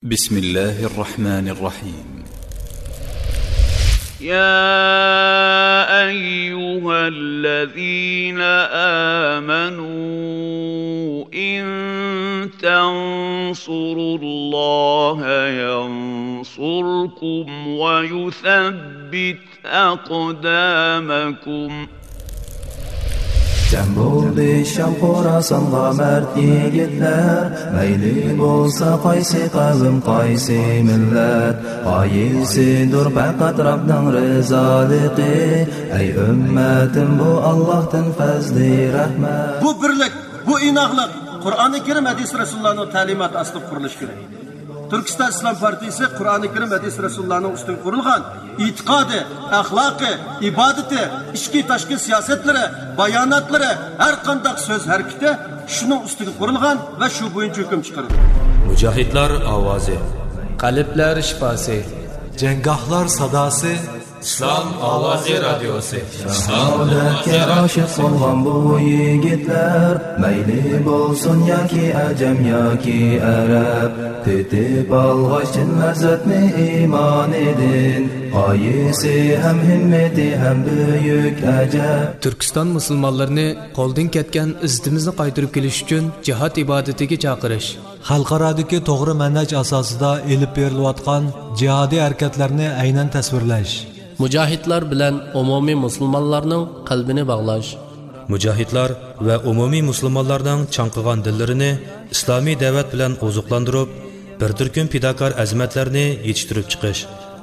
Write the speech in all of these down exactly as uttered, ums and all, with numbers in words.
بسم الله الرحمن الرحيم. يا أيها الذين آمنوا إن تنصروا الله ينصركم ويثبت أقدامكم. جەم بولدى شام خوراسانغا مەرد يىگىتلەر، مەيلى بولسا قايسى قەۋم، قايسى مىللەت، غايىسىدۇر پەقەت رەبنىڭ رىزالىقى. ئەي ئۈممەتىم، بۇ ئاللاھتىن پەزلى رەھمەت. بۇ بىرلىك، بۇ ئىناقلىق قۇرئانى كەرىم، ھەدىس رەسۇلۇللانىڭ تەلىماتى ئاستىدا قۇرۇلۇشى كېرەك. تۈركىستان ئىسلام پارتىيىسى قۇرئانى كەرىم، ھەدىس رەسۇلۇللانىڭ ئۈستىگە قۇرۇلغان ئېتىقادى، ئەخلاقى، ئىبادىتى، ئىچكى تاشقى سىياسەتلىرى، باياناتلىرى، ھەر قانداق سۆز ھەرىكىتى شۇنىڭ ئۈستىگە قۇرۇلغان ۋە شۇ بويىچە ھۆكۈم چىقىرىدۇ. مۇجاھىدلار ئاۋازى. قەلبلەر شىپاسى. جەڭگاھلار ساداسى. ئىسلام ئاۋازى رادىيوسى. شاھادەتكە ئاشىق بولغان بۇ يىگىتلەر، مەيلى بولسۇن ياكى ئەجەم ياكى ئەرەب، تېتىپ ئالغاچ چىن لەززەتنى ئىمانىدىن، غايىسى ھەم ھىممىتى ھەم بۈيۈك ئەجەب. تۈركىستان مۇسۇلمانلىرىنى قولدىن كەتكەن ئىززىتىمىزنى قايتۇرۇپ كېلىش ئۈچۈن جىھاد ئىبادىتىگە چاقىرىش. خەلقئارادىكى توغرا مەنھەج ئاساسىدا ئېلىپ بېرىلىۋاتقان جىھادىي ھەرىكەتلەرنى ئەينەن تەسۋىرلەش. مۇجاھىدلار بىلەن ئومۇمىي مۇسۇلمانلارنىڭ قەلبىنى باغلاش. مۇجاھىدلار ۋە ئومۇمىي مۇسۇلمانلارنىڭ چاڭقىغان دىللىرىنى ئىسلامىي دەۋەت بىلەن ئوزۇقلاندۇرۇپ، بىر تۈركۈم پىداكار ئەزىمەتلەرنى يېتىشتۈرۈپ چىقىش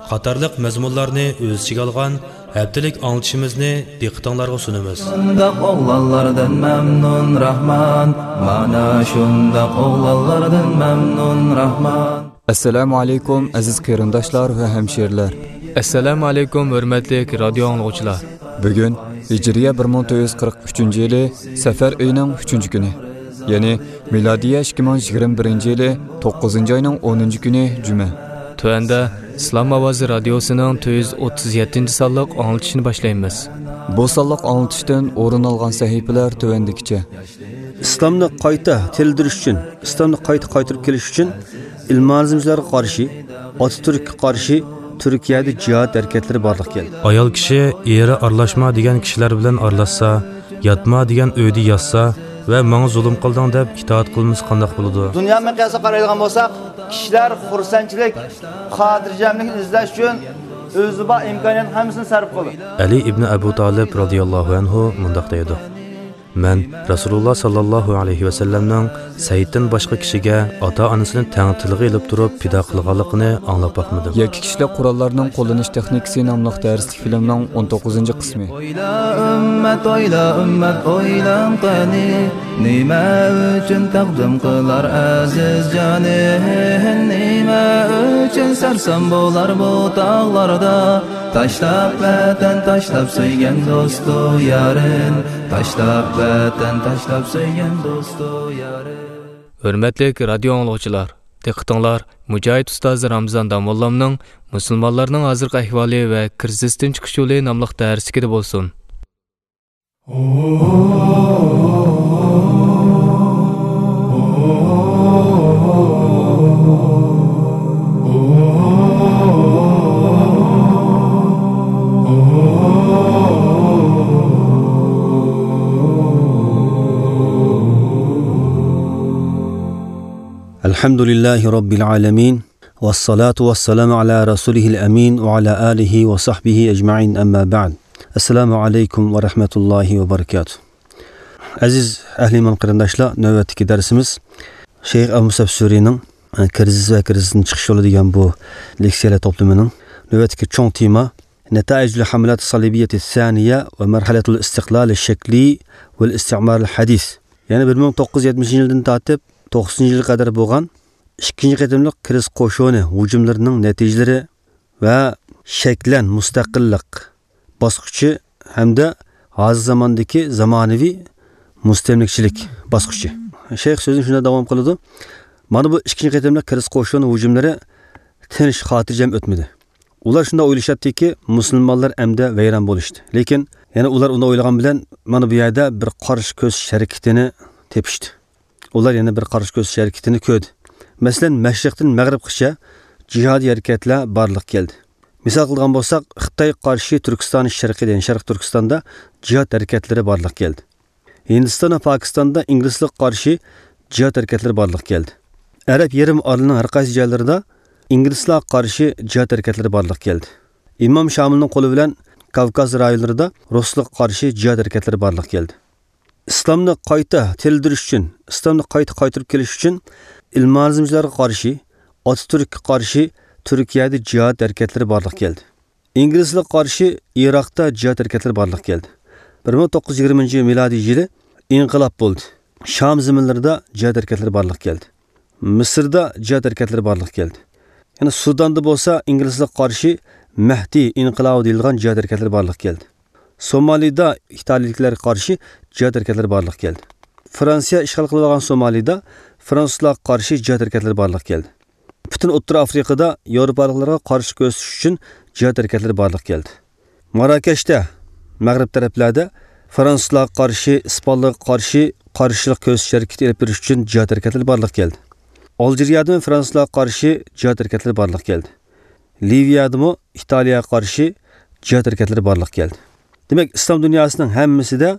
قاتارلىق مەزمۇنلارنى ئۆز ئىچىگە ئالغان ھەپتىلىك ئاڭلىتىشىمىزنى دىققىتىڭلارغا سۇنىمىز. شۇنداق ئوغلانلاردىن مەمنۇن راھمان، مانا شۇنداق ئوغلانلاردىن مەمنۇن راھمان. ئەسسالامۇ ئەلەيكۇم، ئەزىز قېرىنداشلار ۋە ھەمشىرىلەر. ئەسسالامۇ ئەلەيكۇم، ھۆرمەتلىك رادىيو ئاڭلىغۇچىلار. بۈگۈن ھىجرىيە بىر مىڭ تۆت يۈز قىرىق ئۈچىنچى يىلى سەفەر ئېيىنىڭ ئۈچىنچى كۈنى، يەنى مىلادىيە ئىككى مىڭ يىگىرمە بىرىنچى يىلى توققۇزىنچى ئاينىڭ ئونىنچى كۈنى جۈمە. تۆۋەندە ئىسلام ئاۋازى رادىيوسىنىڭ تۆت يۈز ئوتتۇز يەتتىنچى سانلىق ئاڭلىتىشنى باشلايمىز. بۇ سانلىق ئاڭلىتىشتىن ئورۇن ئالغان سەھىپىلەر تۆۋەندىكىچە. ئىسلامنى قايتا تىرىلدۈرۈش ئۈچۈن، ئىسلامنى قايتا قايتۇرۇپ كېلىش ئۈچۈن ئىلمانىزمچىلارغا قارشى، ئاتاتۈرككە قارشى تۈركىيەدە جىھاد ھەرىكەتلىرى بارلىققا كەلدى. ئايال كىشى ئېرى ئارىلاشما دېگەن كىشىلەر بىلەن ئارىلاشسا، ياتما دېگەن ئۆيدە ياتسا ۋە ماڭا زۇلۇم قىلدىڭ دەپ ئىتائەت قىلمىسا قانداق بولىدۇ؟ دۇنيا مىقياسىدا قارايدىغان بولساق، كىشىلەر خۇرسەنچىلىك، خاتىرجەملىكنى ئىزدەش ئۈچۈن ئۆزىدە بار ئىمكانىيەتنىڭ ھەممىسىنى سەرپ قىلىدۇ. ئەلى ئىبنى ئەبۇ تالىب رازىياللاھۇ ئەنھۇ مۇنداق دەيدۇ: مەن رەسۇلۇللا ساللاللاھۇ ئەلەيھى ۋەسەللەمنىڭ سەيدتىن باشقا كىشىگە ئاتا-ئانىسىنى تەڭ تىلغا ئېلىپ تۇرۇپ پىدا قىلغانلىقىنى ئاڭلاپ باقمىدىم. يەككە كىشىلىك قوراللارنىڭ قوللىنىش تېخنىكىسى ناملىق دەرسلىك فىلىمنىڭ ئون توققۇزىنچى قىسمى. ئويلا ئۈممەت، ئويلا ئۈممەت، ئويلاڭ قېنى، نېمە ئۈچۈن تەقدىم قىلار ئەزىز جانى؟ نېمە ئۈچۈن سەرسان بولار بۇ تاغلاردا؟ تاشلاپ ۋەتەن، تاشلاپ سۆيگەن دوستۇ يارىن، تاشلاپ ۋەتەن، تاشلاپ سۆيگەن دوستۇ يارىن. ھۆرمەتلىك رادىيو ئاڭلىغۇچىلار، دىققىتىڭلار مۇجاھىد ئۇستاز رامزان داموللامنىڭ مۇسۇلمانلارنىڭ ھازىرقى ئەھۋالى ۋە كىرىزىستىن چىقىش يولى ناملىق دەرسلىكىدە بولسۇن. الحمد لله رب العالمين، والصلاة والسلام على رسوله الأمين وعلى آله وصحبه أجمعين، أما بعد. السلام عليكم ورحمة الله وبركاته. ئەزىز ئەھلى ئىمان قېرىنداشلار، نۆۋەتتىكى دەرسىمىز شەيخ ئەبۇ مۇسئەب سۈرىنىڭ، ئە، كىرىزىس ۋە كىرىزىستىن چىقىش يولى دېگەن بۇ لېكسىيەلەر توپلىمىنىڭ نۆۋەتتىكى چوڭ تېما نەتائىجۇل ھەملاتى سالىبىيەتى سانىيە ۋە مەرھەلەتۇل ئىستىقلالى شەكلى ۋەل ئىستىمارىل ھەدىس. يەنى بىر مىڭ توققۇز يۈز يەتمىشىنچى يىلدىن تارتىپ توقسىنىنچى يىلغا قەدەر بولغان ئىككىنچى قېتىملىق كىرىزىس قوشۇنى ھۇجۇملىرىنىڭ نەتىجىلىرى ۋە شەكلەن مۇستەقىللىق باسقۇچى ھەمدە ھازىر زاماندىكى زامانىۋى مۇستەملىكىچىلىك باسقۇچى. شەيخ سۆزىنى شۇنداق داۋام قىلىدۇ: مانا بۇ ئىككىنچى قېتىملىق كىرىزىس قوشۇنى ھۇجۇملىرى تىنچ، خاتىرجەم ئۆتمىدى. ئۇلار شۇنداق ئويلىشاتتىكى، مۇسۇلمانلار ئەمدى ۋەيران بولۇشتى. لېكىن يەنە ئۇلار ئۇنداق ئويلىغان بىلەن، مانا بۇ يەردە بىر قارشى كۆرسىتىش ھەرىكىتىنى تېپىشتى. ئۇلار يەنە بىر قارشى كۆرسىتىش ھەرىكىتىنى كۆردى. مەسىلەن، مەشرىقتىن مەغرىبقىچە جىھادىي ھەرىكەتلەر بارلىققا كەلدى. مىسال قىلغان بولساق، خىتاي قارشى تۈركىستان شەرقىدە، يەنى شەرقىي تۈركىستاندا جىھاد ھەرىكەتلىرى بارلىققا كەلدى. ھىندىستان ۋە پاكىستاندا ئىنگلىزلارغا قارشى جىھاد ھەرىكەتلىرى بارلىققا كەلدى. ئەرەب يېرىم ئارىلىنىڭ ھەر قايسى جايلىرىدا ئىنگلىزلارغا قارشى جىھاد ھەرىكەتلىرى بارلىققا كەلدى. ئىمام شامىلنىڭ قولى بىلەن كاۋكاز رايونلىرىدا رۇسلارغا قارشى جىھاد ھەرىكەتلىرى بارلىققا كەلدى. ئىسلامنى قايتا تىرىلدۈرۈش ئۈچۈن، ئىسلامنى قايتا قايتۇرۇپ كېلىش ئۈچۈن ئىلمانىزمچىلارغا قارشى، ئاتاتۈرككە قارشى تۈركىيەدە جىھاد ھەرىكەتلىرى بارلىققا كەلدى. ئىنگلىزلارغا قارشى ئىراقتا جىھاد ھەرىكەتلىرى بارلىققا كەلدى. بىر مىڭ توققۇز يۈز يىگىرمىنچى يىل مىلادىي يىلى ئىنقىلاب بولدى. شام زېمىنلىرىدا جىھاد ھەرىكەتلىرى بارلىققا كەلدى. مىسىردا جىھاد ھەرىكەتلىرى بارلىققا كەلدى. يەنە سۇداندا بولسا ئىنگلىزلارغا قارشى مەھدى ئىنقىلابى دېيىلىدىغان جىھاد ھەرىكەتلىرى بارلىققا كەلدى. سومالىدا ئىتالىيىلىكلەرگە قارشى جىھاد ھەرىكەتلىرى بارلىققا كەلدى. فرانسىيە ئىشغال قىلىپ ئالغان سومالىدا فرانسۇزلارغا قارشى جىھاد ھەرىكەتلىرى بارلىققا كەلدى. پۈتۈن ئوتتۇرا ئافرىقىدا ياۋروپالىقلارغا قارشى كۆرسىتىش ئۈچۈن جىھاد ھەرىكەتلىرى بارلىققا كەلدى. ماراكەشتە، مەغرىب تەرەپلەردە فرانسۇزلارغا قارشى، ئىسپانلارغا قارشى قارشىلىق كۆرسىتىش ھەرىكىتى ئېلىپ بېرىش ئۈچۈن جىھاد ھەرىكەتلىرى بارلىققا كەلدى. ئالجىرىيەدىمۇ فرانسۇزلارغا قارشى جىھاد ھەرىكەتلىرى بارلىققا كەلدى. لىۋىيەدىمۇ ئىتالىيەگە قارشى جىھاد ھەرىكەتلىرى بارلىققا كەلدى. دېمەك، ئىسلام دۇنياسىنىڭ ھەممىسىدە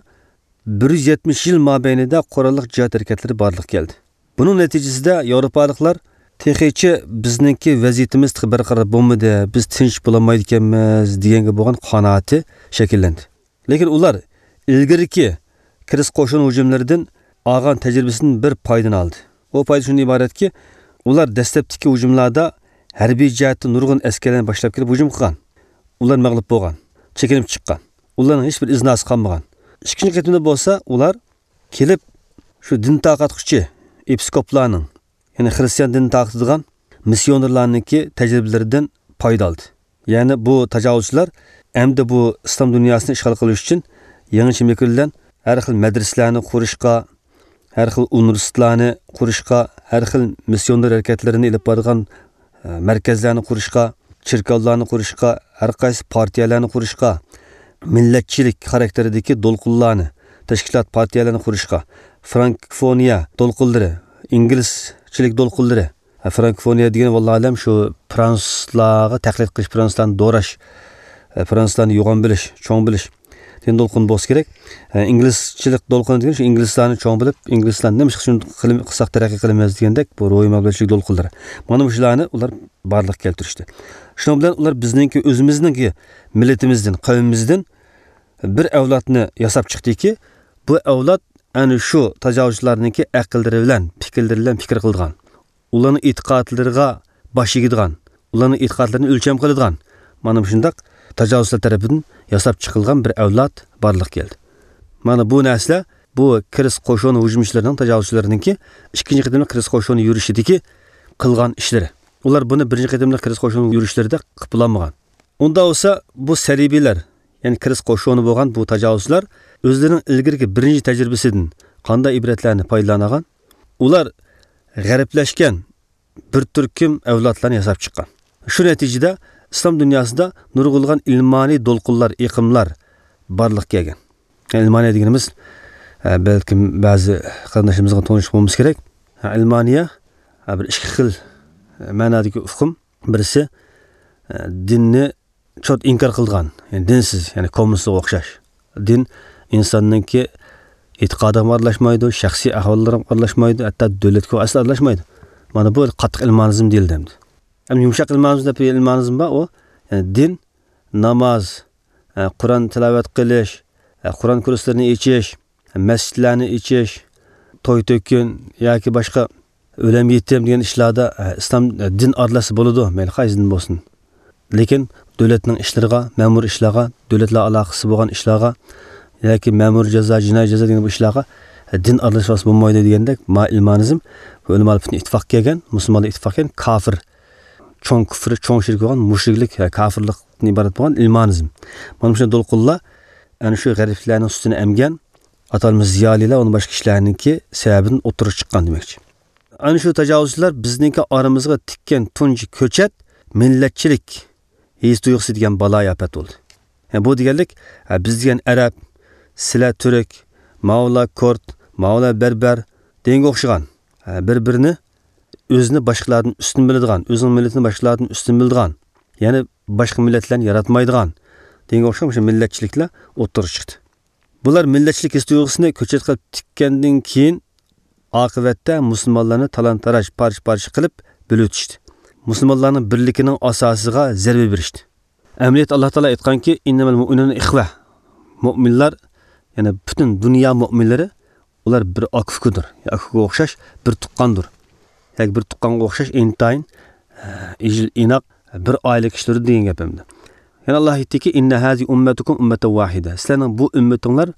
بىر يۈز يەتمىش يىل مابەينىدە قوراللىق جىھاد ھەرىكەتلىرى بارلىققا كەلدى. بۇنىڭ نەتىجىسىدە ياۋروپالىقلار تېخىچە بىزنىڭكى ۋەزىيىتىمىز تېخى بەرقارار بولمىدى، بىز تىنچ بولالمايدىكەنمىز دېگەنگە بولغان قانائىتى شەكىللەندى. لېكىن ئۇلار ئىلگىرىكى كىرىس قوشۇن ھۇجۇملىرىدىن ئالغان تەجرىبىسىدىن بىر پايدىنى ئالدى. ئۇ پايدا شۇندىن ئىبارەتكى، ئۇلار دەسلەپتىكى ھۇجۇملاردا ھەربىي جەھەتتە نۇرغۇن ئەسكەرلەرنى باشلاپ كېلىپ ھۇجۇم قىلغان. ئۇلار مەغلۇپ بولغان، چېكىنىپ چىققان. ئۇلارنىڭ ھېچبىر ئىزناسى قالمىغان. ئىككىنچى قېتىمدا بولسا ئۇلار كېلىپ شۇ دىن تارقاتقۇچى ئېپىسكوپلارنىڭ، يەنى خرىستىيان دىنىنى تارقىتىدىغان مىسسىيونېرلارنىڭكى تەجرىبىلىرىدىن پايدا ئالدى. يەنى بۇ تاجاۋۇزچىلار ئەمدى بۇ ئىسلام دۇنياسىنى ئىشغال قىلىش ئۈچۈن يېڭىچە مىكىر بىلەن ھەر خىل مەدرىسىلەرنى قۇرۇشقا، ھەر خىل ئۇنىۋېرسىتېتلارنى قۇرۇشقا، ھەر خىل مىسسىيونېر ھەرىكەتلىرىنى ئېلىپ بارىدىغان، ئە، مەركەزلەرنى قۇرۇشقا، چېركاۋلارنى قۇرۇشقا، ھەر قايسى پارتىيەلەرنى قۇرۇشقا، مىللەتچىلىك خاراكتېرىدىكى دولقۇنلارنى، تەشكىلات، پارتىيەلەرنى قۇرۇشقا، فرانكوفونىيە دولقۇنلىرى، ئىنگلىزچىلىك دولقۇنلىرى، ھە، فرانكوفونىيە دېگەن، ۋاللاھۇ ئەلەم، شۇ فرانسۇزلارغا تەقلىد قىلىش، فرانسۇزلارنى دوراش، ھە، فرانسۇزلارنى يوغان بىلىش، چوڭ بىلىش دېگەن دولقۇن بولسا كېرەك. ھە، ئىنگلىزچىلىك دولقۇنى دېگەن شۇ ئىنگلىزلارنى چوڭ بىلىپ، ئىنگلىزلارنى نېمە ئىش قىلسا شۇنداق قىلىم-، قىلساق تەرەققىي قىلىمىز دېگەندەك بۇ روھىي مەغلۇبىيەتچىلىك دولقۇنلىرى. مانا مۇشۇلارنى ئۇلار بارلىققا كەلتۈرۈشتى. شۇنىڭ بىلەن ئۇلار بىزنىڭكى ئۆزىمىزنىڭكى مىللىتىمىزدىن، قەۋمىمىزدىن بىر ئەۋلادنى ياساپ چىقتىكى، بۇ ئەۋلاد ئەنە شۇ تاجاۋۇزچىلارنىڭكى ئەقىللىرى بىلەن، پىكىرلىرى بىلەن پىكىر قىلىدىغان، ئۇلارنىڭ ئېتىقادلىرىغا باش ئېگىدىغان، ئۇلارنىڭ ئېتىقادلىرىنى ئۆلچەم قىلىدىغان، مانا مۇشۇنداق تاجاۋۇزچىلار تەرىپىدىن ياساپ چىقىلغان بىر ئەۋلاد بارلىققا كەلدى. مانا بۇ نەرسىلەر بۇ كىرىس قوشۇن ھۇجۇمچىلىرىنىڭ، تاجاۋۇزچىلىرىنىڭكى ئىككىنچى قېتىملىق كىرىس قوشۇن يۈرۈشىدىكى قىلغان ئىشلىرى. ئۇلار بۇنى بىرىنچى قېتىملىق كىرىس قوشۇن يۈرۈشلىرىدە قىلىپ بولالمىغان. ئۇنداق بولسا، بۇ سەلىبىيلەر، يەنى كىرىس قوشۇنى بولغان بۇ تاجاۋۇزچىلار ئۆزلىرىنىڭ ئىلگىرىكى بىرىنچى تەجرىبىسىدىن قانداق ئىبرەتلەرنى پايدىلانغان؟ ئۇلار غەربلەشكەن بىر تۈركۈم ئەۋلادلارنى ياساپ چىققان. شۇ نەتىجىدە ئىسلام دۇنياسىدا نۇرغۇنلىغان ئىلمانىي دولقۇنلار، ئېقىملار بارلىققا كەلگەن. يەنى ئىلمانىيە دېگىنىمىز، ئە، بەلكىم بەزى قېرىنداشلىرىمىزغا تونۇش بولمىسا كېرەك. ئە، ئىلمانىيە، ئە، بىر ئىككى خىل، ئە، مەنادىكى ئۇقۇم. بىرسى، ئە، دىننى چوت ئىنكار قىلىدىغان، يەنى دىنسىز، يەنى كوممۇنىستلارغا ئوخشاش. دىن ئىنساننىڭكى ئېتىقادىغا ئارىلاشمايدۇ، شەخسىي ئەھۋاللىرىغا ئارىلاشمايدۇ، ھەتتا دۆلەتكە ئەسلا ئارىلاشمايدۇ. مانا بۇ قاتتىق ئىلمانىزم دېيىلدى ئەمدى. ئەمدى يۇمشاق ئىلمانىزم دەپ بىر ئىلمانىزم بار، ئۇ، يەنى دىن، ناماز، ئە، قۇرئان تىلاۋەت قىلىش، ئە، قۇرئان كۇرسلىرىنى ئېچىش، مەسچىتلەرنى ئېچىش، توي تۆكۈن ياكى باشقا ئۆلەم يېتىم دېگەن ئىشلاردا، ئە، ئىسلام، ئە، دىن ئارىلاشسا بولىدۇ، مەيلى قايسى دىن بولسۇن. لېكىن دۆلەتنىڭ ئىشلىرىغا، مەمۇرىي ئىشلارغا، دۆلەت بىلەن ئالاقىسى بولغان ئىشلارغا ياكى مەمۇرىي جازا، جىنايى جازا دېگەن بۇ ئىشلارغا، ئە، دىن ئارىلاشماسا بولمايدۇ دېگەندەك، ما ئىلمانىزم بۇ ئۆلىمالار پۈتۈن ئىتتىپاققا كەلگەن، مۇسۇلمانلار ئىتتىپاققا كەلگەن كافىر، چوڭ كۇفر، چوڭ شىرك بولغان مۇشرىكلىك، ھە، كافىرلىقتىن ئىبارەت بولغان ئىلمانىزم. مانا مۇشۇنداق دولقۇنلار ئەنە شۇ غەربلىكلەرنىڭ سۈتىنى ئەمگەن، ئاتالمىش زىيالىيلار، ئۇندىن باشقا كىشىلەرنىڭكى سەۋەبىدىن ئوتتۇرىغا چىققان دېمەكچى. ئەنە شۇ تاجاۋۇزچىلار بىزنىڭكى ئارىمىزغا تىككەن تۇنجى كۆچەت مىللەتچىلىك ھېس تۇيغۇسى دېگەن بالايىئاپەت بولدى. ھە، بۇ دېگەنلىك، ھە، بىز دېگەن ئەرەب، سىلەر تۈرك، ماۋۇلار كۇرد، ماۋۇلار بەربەر دېگەنگە ئوخشىغان، ھە، بىر-بىرىنى ئۆزىنى باشقىلاردىن ئۈستۈن بىلىدىغان، ئۆزىنىڭ مىللىتىنى باشقىلاردىن ئۈستۈن بىلىدىغان، يەنى باشقا مىللەتلەرنى ياراتمايدىغان دېگەنگە ئوخشاش مۇشۇ مىللەتچىلىكلەر ئوتتۇرىغا چىقتى. بۇلار مىللەتچىلىك ھېس تۇيغۇسىنى كۆچەت قىلىپ تىككەندىن كېيىن، ئاقىۋەتتە مۇسۇلمانلارنى تالان-تاراج، پارچە-پارچە قىلىپ بۆلۈۋېتىشتى. مۇسۇلمانلارنىڭ بىرلىكىنىڭ ئاساسىغا زەربە بېرىشتى. ئەمەلىيەتتە ئاللا تائالا ئېيتقانكى، «ئىننەمەل مۇئمىنۇنە ئىخۋە.» مۇئمىنلار، يەنى پۈتۈن دۇنيا مۇئمىنلىرى، ئۇلار بىر ئاكا-ئۇكىدۇر، يا ئاكىغا ئوخشاش بىر تۇغقاندۇر. ياكى بىر تۇغقانغا ئوخشاش ئىنتايىن، ئە، ئىجىل ئىناق، بىر ئائىلە كىشىلىرى دېگەن گەپ ئەمدى. يەنە ئاللا ئېيتتىكى، «ئىننە ھازى ئۇممەتۇكۇم ئۇممەتەن ۋاھىدە.» سىلەرنىڭ بۇ ئۈممىتىڭلار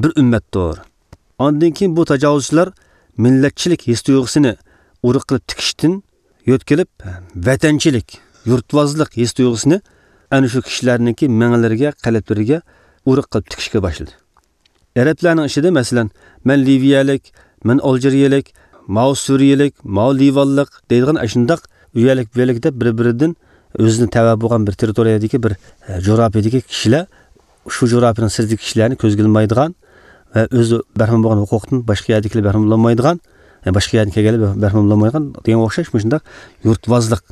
بىر ئۈممەتتۇر. ئاندىن كېيىن بۇ تاجاۋۇزچىلار مىللەتچىلىك ھېس تۇيغۇسىنى ئۇرۇق قىلىپ تىكىشتىن يۆتكىلىپ، ۋەتەنچىلىك، يۇرتۋازلىق ھېس تۇيغۇسىنى ئەنە شۇ كىشىلەرنىڭكى مېڭىلىرىگە، قەلبلىرىگە ئۇرۇق قىلىپ تىكىشكە باشلىدى. ئەرەبلەرنىڭ ئىچىدە، مەسىلەن، «مەن لىۋىيەلىك، مەن ئالجىرىيەلىك، ماۋۇ سۈرىيەلىك، ماۋۇ لىۋانلىق» دەيدىغان ئاشۇنداق ئۇ يەرلىك، بۇ يەرلىك دەپ بىر-بىرىدىن ئۆزىنى تەۋە بولغان بىر تېررىتورىيەدىكى بىر، ئە، جۇغراپىيەدىكى كىشىلەر شۇ جۇغراپىيەنىڭ سىرتىدىكى كىشىلەرنى كۆزگە ئىلمايدىغان ۋە ئۆزى بەھرىمەن بولغان ھوقۇقتىن باشقا يەردىكىلەر بەھرىمەن بولالمايدىغان، يەنى باشقا يەردىن كەلگەنلەر بەھرىمەن بولالمايدىغان دېگەنگە ئوخشاش مۇشۇنداق يۇرتۋازلىق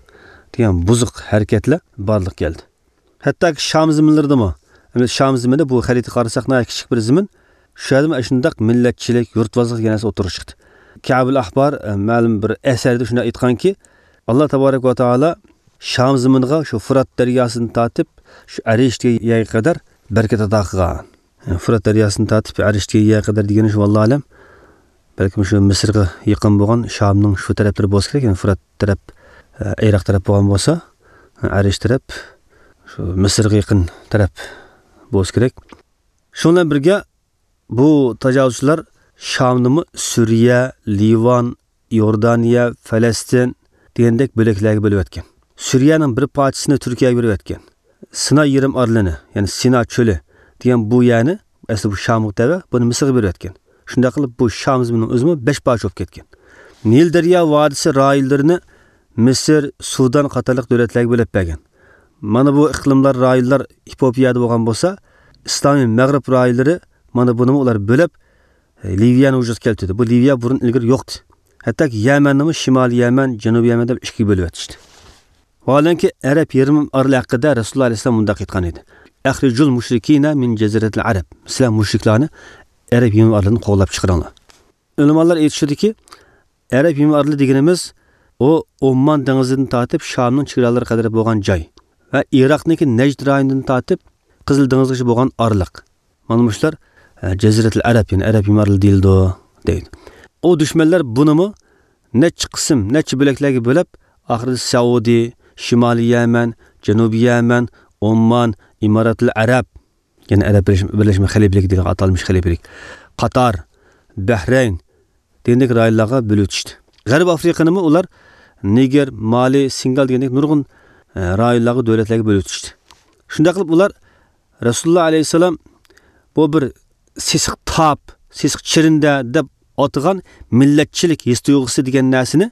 دېگەن بۇزۇق ھەرىكەتلەر بارلىققا كەلدى. ھەتتاكى شام زېمىنلىرىدىمۇ، ئەمدى شام زېمىنى بۇ خەرىتىگە قارىساق ناھايىتى كىچىك بىر زېمىن، شۇ يەردىمۇ ئاشۇنداق مىللەتچىلىك، يۇرتۋازلىق دېگەن نەرسە ئوتتۇرىغا چىقتى. كەبۇل ئەھبار، ئە، مەلۇم بىر ئەسەردە شۇنداق ئېيتقانكى، ئاللا تابارەك ۋە تائالا شام زېمىنىغا شۇ فۇرات دەرياسىدىن تارتىپ شۇ ئەرىش دېگەن يەرگە قەدەر بەرىكەت ئاتا قىلغان. فۇرات دەرياسىدىن تارتىپ ئەرىش دېگەن يەرگە قەدەر دېگىنى شۇ، ۋاللاھۇ ئەلەم. بەلكىم شۇ مىسىرغا يېقىن بولغان شامنىڭ شۇ تەرەپلىرى بولسا كېرەك، يەنى فۇرات تەرەپ، ئە، ئىراق تەرەپ بولغان بولسا، ئەرىش تەرەپ، شۇ مىسىرغا يېقىن تەرەپ بولسا كېرەك. شۇنىڭ بىلەن بىرگە، بۇ تاجاۋۇزچىلار شامنىمۇ سۈرىيە، لىۋان، ئىئوردانىيە، فەلەستىن دېگەندەك بۆلەكلەرگە بۆلۈۋەتكەن. سۈرىيەنىڭ بىر پارچىسىنى تۈركىيەگە بېرىۋەتكەن. سىناي يېرىم ئارىلىنى، يەنى سىنا چۆلى دېگەن بۇ يەرنى، ئەسلى بۇ شامغا تەۋە، بۇنى مىسىرغا بېرىۋەتكەن. شۇنداق قىلىپ، بۇ شام زېمىنىنىڭ ئۆزىمۇ بەش پارچە بولۇپ كەتكەن. نىل دەريا ۋادىسى رايونلىرىنى مىسىر، سۇدان قاتارلىق دۆلەتلەرگە بۆلۈپ بەرگەن. مانا بۇ ئىقلىملار، رايونلار ئېفىئوپىيەدە بولغان بولسا، ئىسلامىي مەغرىب رايونلىرى، مانا بۇنىمۇ ئۇلار بۆلۈپ، لىۋىيەنى ۋۇجۇدقا كەلتۈردى. بۇ لىۋىيە بۇرۇن ئىلگىرى يوقتى. ھەتتاكى يەمەننىمۇ شىمالىي يەمەن، جەنۇبىي يەمەن دەپ ئىككىگە بۆلۈۋەتىشتى. ۋاھالەنكى، ئەرەب يېرىم ئارىلى ھەققىدە رەسۇلۇللا ئەلەيھىسسالام مۇنداق ئېيتقان ئىدى: «ئەخرىجۇل مۇشرىكىنە مىن جەزىرەتىل ئەرەب.» سىلەر مۇشرىكلارنى ئەرەب يېرىم ئارىلىدىن قوغلاپ چىقىرىڭلار. ئۆلىمالار ئېيتىشىدىكى، ئەرەب يېرىم ئارىلى دېگىنىمىز، ئۇ ئوممان دېڭىزىدىن تارتىپ شامنىڭ چېگرالىرىغا قەدەر بولغان جاي ۋە ئىراقنىڭكى نەجد رايونىدىن تارتىپ قىزىل دېڭىزغىچە بولغان ئارىلىق. مانا مۇشۇلار، ئە، جەزىرەتىل ئەرەب، يەنى ئەرەب يېرىم ئارىلى دېيىلىدۇ، دەيدۇ. ئۇ دۈشمەنلەر بۇنىمۇ نەچچە قىسىم، نەچچە بۆلەكلەرگە بۆلۈپ، ئاخىرىدا سەئۇدى، شىمالىي يەمەن، جەنۇبىي يەمەن، ئوممان، ئىماراتىل ئەرەب، يەنى ئەرەب بىرلەشمە، بىرلەشمە خەلىپىلىكى دېگەن ئاتالمىش خەلىپىلىك، قاتار، بەھرەين دېگەندەك رايونلارغا بۆلۈۋېتىشتى. غەربىي ئافرىقىنىمۇ ئۇلار نىگېر، مالى، سېنېگال دېگەندەك نۇرغۇن، ئە، رايونلارغا، دۆلەتلەرگە بۆلۈۋېتىشتى. شۇنداق قىلىپ ئۇلار رەسۇلۇللا ئەلەيھىسسالام بۇ بىر سېسىق تاپ، سېسىق چېرىندە دەپ ئاتىغان مىللەتچىلىك ھېس تۇيغۇسى دېگەن نەرسىنى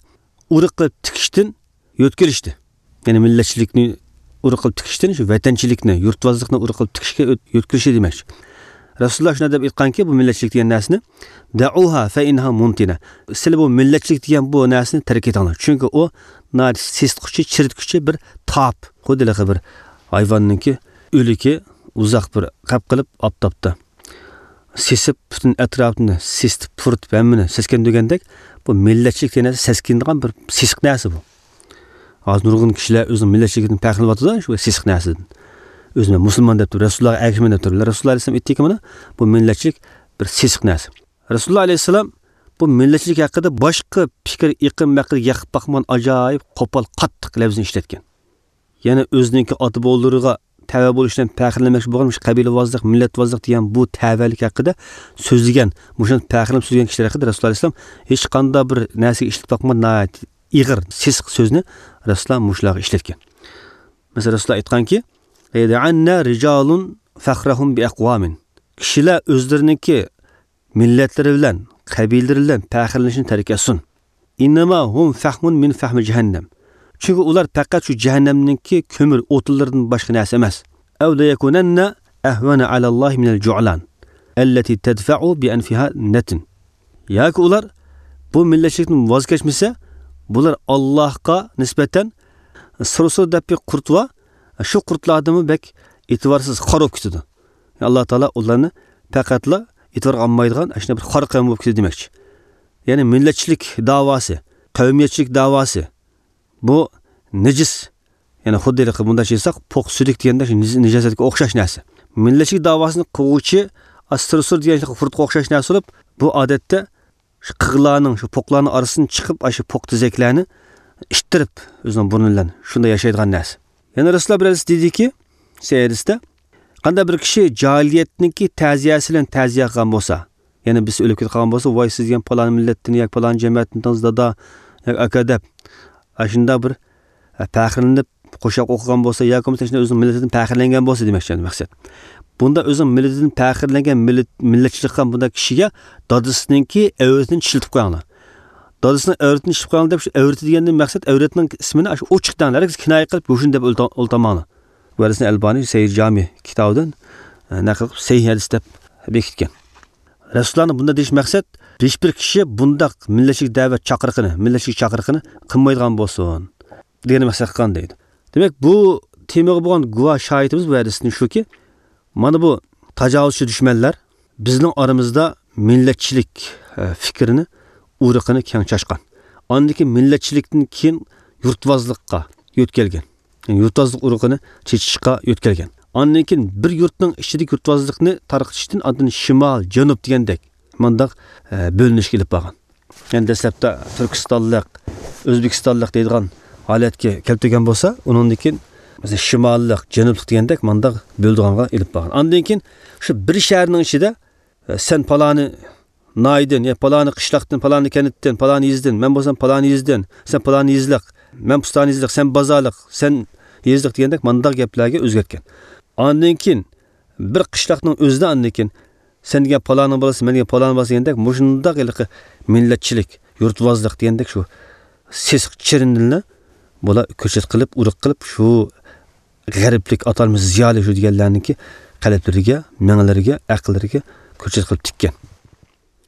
ئۇرۇق قىلىپ تىكىشتىن يۆتكىلىشتى. يەنى مىللەتچىلىكنى ئۇرۇق قىلىپ تىكىشتىن شۇ ۋەتەنچىلىكنى، يۇرتۋازلىقنى ئۇرۇق قىلىپ تىكىشكە يۆت-، يۆتكىلىشى دېمەكچى. رەسۇلۇللا شۇنداق دەپ ئېيتقانكى، بۇ مىللەتچىلىك دېگەن نەرسىنى، «دەئۇھا فەئىننەھا مۇنتىنە.» سىلى بۇ مىللەتچىلىك دېگەن بۇ نەرسىنى تەرك ئېتىڭلار. چۈنكى ئۇ ناھايىتى سېسىتقۇچى، چىرىتكۈچى بىر تاپ. خۇددى ھېلىقى بىر ھايۋاننىڭكى ئۆلۈكى ئۇزاق بىر قەپ قىلىپ ئاپتاپتا سېسىپ، پۈتۈن ئەتراپنى سېسىتىپ، پۇرىتىپ، ھەممىنى سەسكەندۈرگەندەك، بۇ مىللەتچىلىك دېگەن نەرسە سەسكىنىدىغان بىر سېسىق نەرسە بۇ. ھازىر نۇرغۇن كىشىلەر ئۆزىنىڭ مىللەتچىلىكىدىن پەخىرلىنىۋاتىدۇ، شۇ سېسىق نەرسىدىن. ئۆزى مەن مۇسۇلمان دەپ تۇرۇپ، رەسۇلۇللاغا ئەگىشىمەن دەپ تۇرۇپ، رەسۇلۇللا ئەلەيھىسسالام ئېيتتىكى، مانا، بۇ مىللەتچىلىك بىر سېسىق نەرسە. رەسۇلۇللا ئەلەيھىسسالام بۇ مىللەتچىلىك ھەققىدە باشقا پىكىر ئېقىم ھەققىدە يېقىپ باقمىغان ئاجايىپ قوپال، قاتتىق لەپزىنى ئىشلەتكەن. يەنى ئۆزىنىڭكى ئاتا بوۋىلىرىغا تەۋە بولۇشتىن پەخىرلەنمەكچى بولغان مۇشۇ قەبىلىۋازلىق، مىللەتۋازلىق دېگەن بۇ تەۋەلىك ھەققىدە سۆزلىگەن، مۇشۇنداق پەخىرلىنىپ سۆزلىگەن كىشىلەر ھەققىدە رەسۇلۇللا ئەلەيھىسسالام ھېچقانداق بىر نەرسىگە ئىشلىتىپ باقمىغان ناھايىتى ئېغىر، سېسىق سۆزنى رەسۇلۇللا مۇشۇلارغا ئىشلەتكەن. مەسىلەن، رەسۇلۇللا ئېيتقانكى، «لەيدەئەننە رىجالۇن فەخرەھۇم بىئەقۋامىن.» كىشىلەر ئۆزلىرىنىڭكى مىللەتلىرى بىلەن، قەبىلىلىرى بىلەن پەخىرلىنىشنى تەرك ئەتسۇن. «ئىننەما ھۇم فەھمۇن مىن فەھمى جەھەننەم.» چۈنكى ئۇلار پەقەت شۇ جەھەننەمنىڭكى كۆمۈر ئوتۇنلىرىدىن باشقا نەرسە ئەمەس. «ئەۋ لەيەكۇنەننە ئەھۋەنە ئەلەللاھى مىنەل جۇئلان ئەللەتى تەدفەئۇ بىئەنفىھا نەتن.» ياكى ئۇلار بۇ مىللەتچىلىكتىن ۋاز كەچمىسە، بۇلار ئاللاھقا نىسبەتەن سۇر سۇر دەپ بىر قۇرت بار. شۇ قۇرتلاردىنمۇ بەك ئېتىبارسىز، خار بولۇپ كېتىدۇ. ئاللا تائالا ئۇلارنى پەقەتلا ئېتىبارغا ئالمايدىغان ئاشۇنداق بىر خار قەۋم بولۇپ كېتىدۇ دېمەكچى. يەنى مىللەتچىلىك داۋاسى، قەۋمىيەتچىلىك داۋاسى، بۇ نىجىس. يەنى خۇددى ھېلىقى مۇنداق دېسەك، پوق سۈيدۈك دېگەندە شۇ نىج-، نىجاسەتكە ئوخشاش نەرسە. مىللەتچىلىك داۋاسىنى قوغۇچى ئاستىرسۇر دېگەن قۇرتقا ئوخشاش نەرسە بولۇپ، بۇ ئادەتتە شۇ قىغلارنىڭ، شۇ پوقلارنىڭ ئارىسىدىن چىقىپ، ئاشۇ پوق تېزەكلەرنى ئىتتىرىپ، ئۆزىنىڭ بۇرنى بىلەن شۇنداق ياشايدىغان نەرسە. يەنە رەسۇلۇللا بىر ھەدىس دېدىكى، سەھىھ ھەدىستە، قانداق بىر كىشى جاھىلىيەتنىڭكى تەزىيەسى بىلەن تەزىيە قىلغان بولسا، يەنى بىرسى ئۆلۈپ كېتىپ قالغان بولسا، ۋاي سىز دېگەن پالان مىللەتتىن ياكى پالان جەمەتتىن دادا ياكى ئاكا دەپ، ئاشۇنداق بىر، ئە، پەخىرلىنىپ، قوشاق ئوقۇغان بولسا ياكى بولمىسا شۇنداق ئۆزىنىڭ مىللىتىدىن پەخىرلەنگەن بولسا دېمەكچى مەقسەت. بۇنداق ئۆزىنىڭ مىللىتىدىن پەخىرلەنگەن مىللەت، مىللەتچىلىك قىلغان بۇنداق كىشىگە دادىسىنىڭكى ئەۋرىتىنى چىشلىتىپ قويۇڭلار. دادىسىنىڭ ئەۋرىتىنى چىشلىتىپ قويۇڭلار دەپ، شۇ ئەۋرىتى دېگەندىن مەقسەت ئەۋرەتنىڭ ئىسمىنى ئاشۇ ئوچۇق دەڭلار، ھەرگىز كىنايە قىلىپ يوشۇرۇن دەپ ئولتۇرماڭلار. بۇ ھەدىسنى ئەلبانى سەھىھ جامى كىتابىدىن، ئە، نەقىل قىلىپ سەھىھ ھەدىس دەپ بېكىتكەن. رەسۇلۇللانىڭ بۇنداق دېيىش مەقسەت، ھېچبىر كىشى بۇنداق مىللەتچىلىك دەۋەت چاقىرىقىنى، مىللەتچىلىك چاقىرىقىنى قىلمايدىغان بولسۇن دېگەننى مەقسەت قىلغان دەيدۇ. دېمەك، بۇ تېمىغا بولغان گۇۋاھ شاھىتىمىز بۇ ھەدىستىن شۇكى، مانا بۇ تاجاۋۇزچى دۈشمەنلەر بىزنىڭ ئارىمىزدا مىللەتچىلىك، ئە، پىكرىنى، ئۇرۇقىنى كەڭ چاچقان. ئاندىن كېيىن مىللەتچىلىكتىن كېيىن يۇرتۋازلىققا يۆتكەلگەن. يەنى يۇرتۋازلىق ئۇرۇقىنى چېچىشقا يۆتكەلگەن. ئاندىن كېيىن بىر يۇرتنىڭ ئىچىدىكى يۇرتۋازلىقنى تارقىتىشتىن ئاندىن شىمال، جەنۇب دېگەندەك مانداق، ئە، بۆلۈنۈشكە ئېلىپ بارغان. يەنى دەسلەپتە تۈركىستانلىق، ئۆزبېكىستانلىق دەيدىغان ھالەتكە كەلتۈرگەن بولسا، ئۇنىڭدىن كېيىن مەسىلەن شىماللىق، جەنۇبلۇق دېگەندەك مانداق بۆلىدىغانغا ئېلىپ بارغان. ئاندىن كېيىن شۇ بىر شەھەرنىڭ ئىچىدە، ئە، سەن پالانى ناھىيەدىن، يا پالانى قىشلاقتىن، پالانى كەنتتىن، پالانى يېزىدىن، مەن بولسام پالانى يېزىدىن، سەن پالانى يېزىلىق، مەن پۇستانى يېزىلىق، سەن بازارلىق، سەن يېزىلىق دېگەندەك مانداق گەپلەرگە ئۆزگەرتكەن. ئاندىن كېيىن بىر قىشلاقنىڭ ئۆزىدە ئاندىن كېيىن سەن دېگەن پالانىڭ بالىسى، مەن دېگەن پالانىڭ بالىسى دېگەندەك مۇشۇنداق ھېلىقى مىللەتچىلىك، يۇرتۋازلىق دېگەندەك شۇ سېسىق چىرىندىنلا بۇلار كۆچەت قىلىپ، ئۇرۇق قىلىپ، شۇ غەربلىك ئاتالمىش زىيالىي شۇ دېگەنلەرنىڭكى قەلبلىرىگە، مېڭىلىرىگە، ئەقىللىرىگە كۆچەت قىلىپ تىككەن.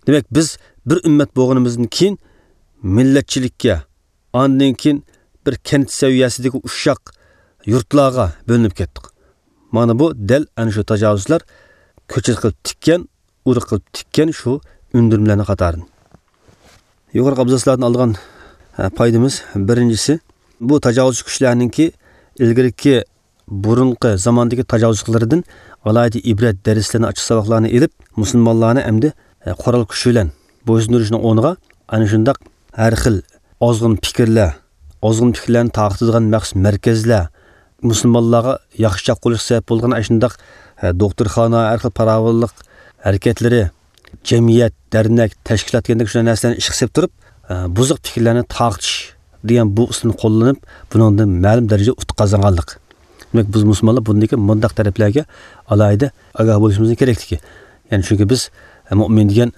دېمەك، بىز بىر ئۈممەت بولغىنىمىزدىن كېيىن مىللەتچىلىككە، ئاندىن كېيىن بىر كەنت سەۋىيەسىدىكى ئۇششاق يۇرتلارغا بۆلۈنۈپ كەتتۇق. مانا بۇ دەل ئەنە شۇ تاجاۋۇزچىلار كۆچەت قىلىپ تىككەن، ئۇرۇق قىلىپ تىككەن شۇ ئۈندۈرمىلەرنىڭ قاتارىدىن. يۇقىرىقى ئابزاسلاردىن ئالغان، ئە، پايدىمىز بىرىنچىسى، بۇ تاجاۋۇزچى كۈچلەرنىڭكى ئىلگىرىكى بۇرۇنقى زاماندىكى تاجاۋۇزچىلىقلىرىدىن ئالاھىدە ئىبرەت دەرسلىرىنى، ئاچچىق ساۋاقلارنى ئېلىپ، مۇسۇلمانلارنى ئەمدى، ئە، قورال كۈچى بىلەن بويسۇندۇرۇشنىڭ ئورنىغا، ئەنە شۇنداق ھەر خىل ئازغۇن پىكىرلەر، ئازغۇن پىكىرلەرنى تارقىتىدىغان مەخسۇس مەركەزلەر، مۇسۇلمانلارغا ياخشى چاققۇلۇق سەۋەب بولىدىغان ئاشۇنداق، ئە، دوختۇرخانا، ھەر خىل پاراۋانلىق ھەرىكەتلىرى، جەمئىيەت، دەرنەك، تەشكىلات دېگەندەك شۇنداق نەرسىلەرنى ئىشقا سېلىپ تۇرۇپ، ئە، بۇزۇق پىكىرلەرنى تارقىتىش دېگەن بۇ ئۇسۇلنى قوللىنىپ، بۇنىڭدىن مەلۇم دەرىجىدە ئۇتۇق قازانغانلىق. دېمەك، بىز مۇسۇلمانلار بۇندىكى مۇنداق تەرەپلەرگە ئالاھىدە ئاگاھ بولۇشىمىزنىڭ كېرەكلىكى. يەنى چۈنكى بىز، ئە، مۇئمىن دېگەن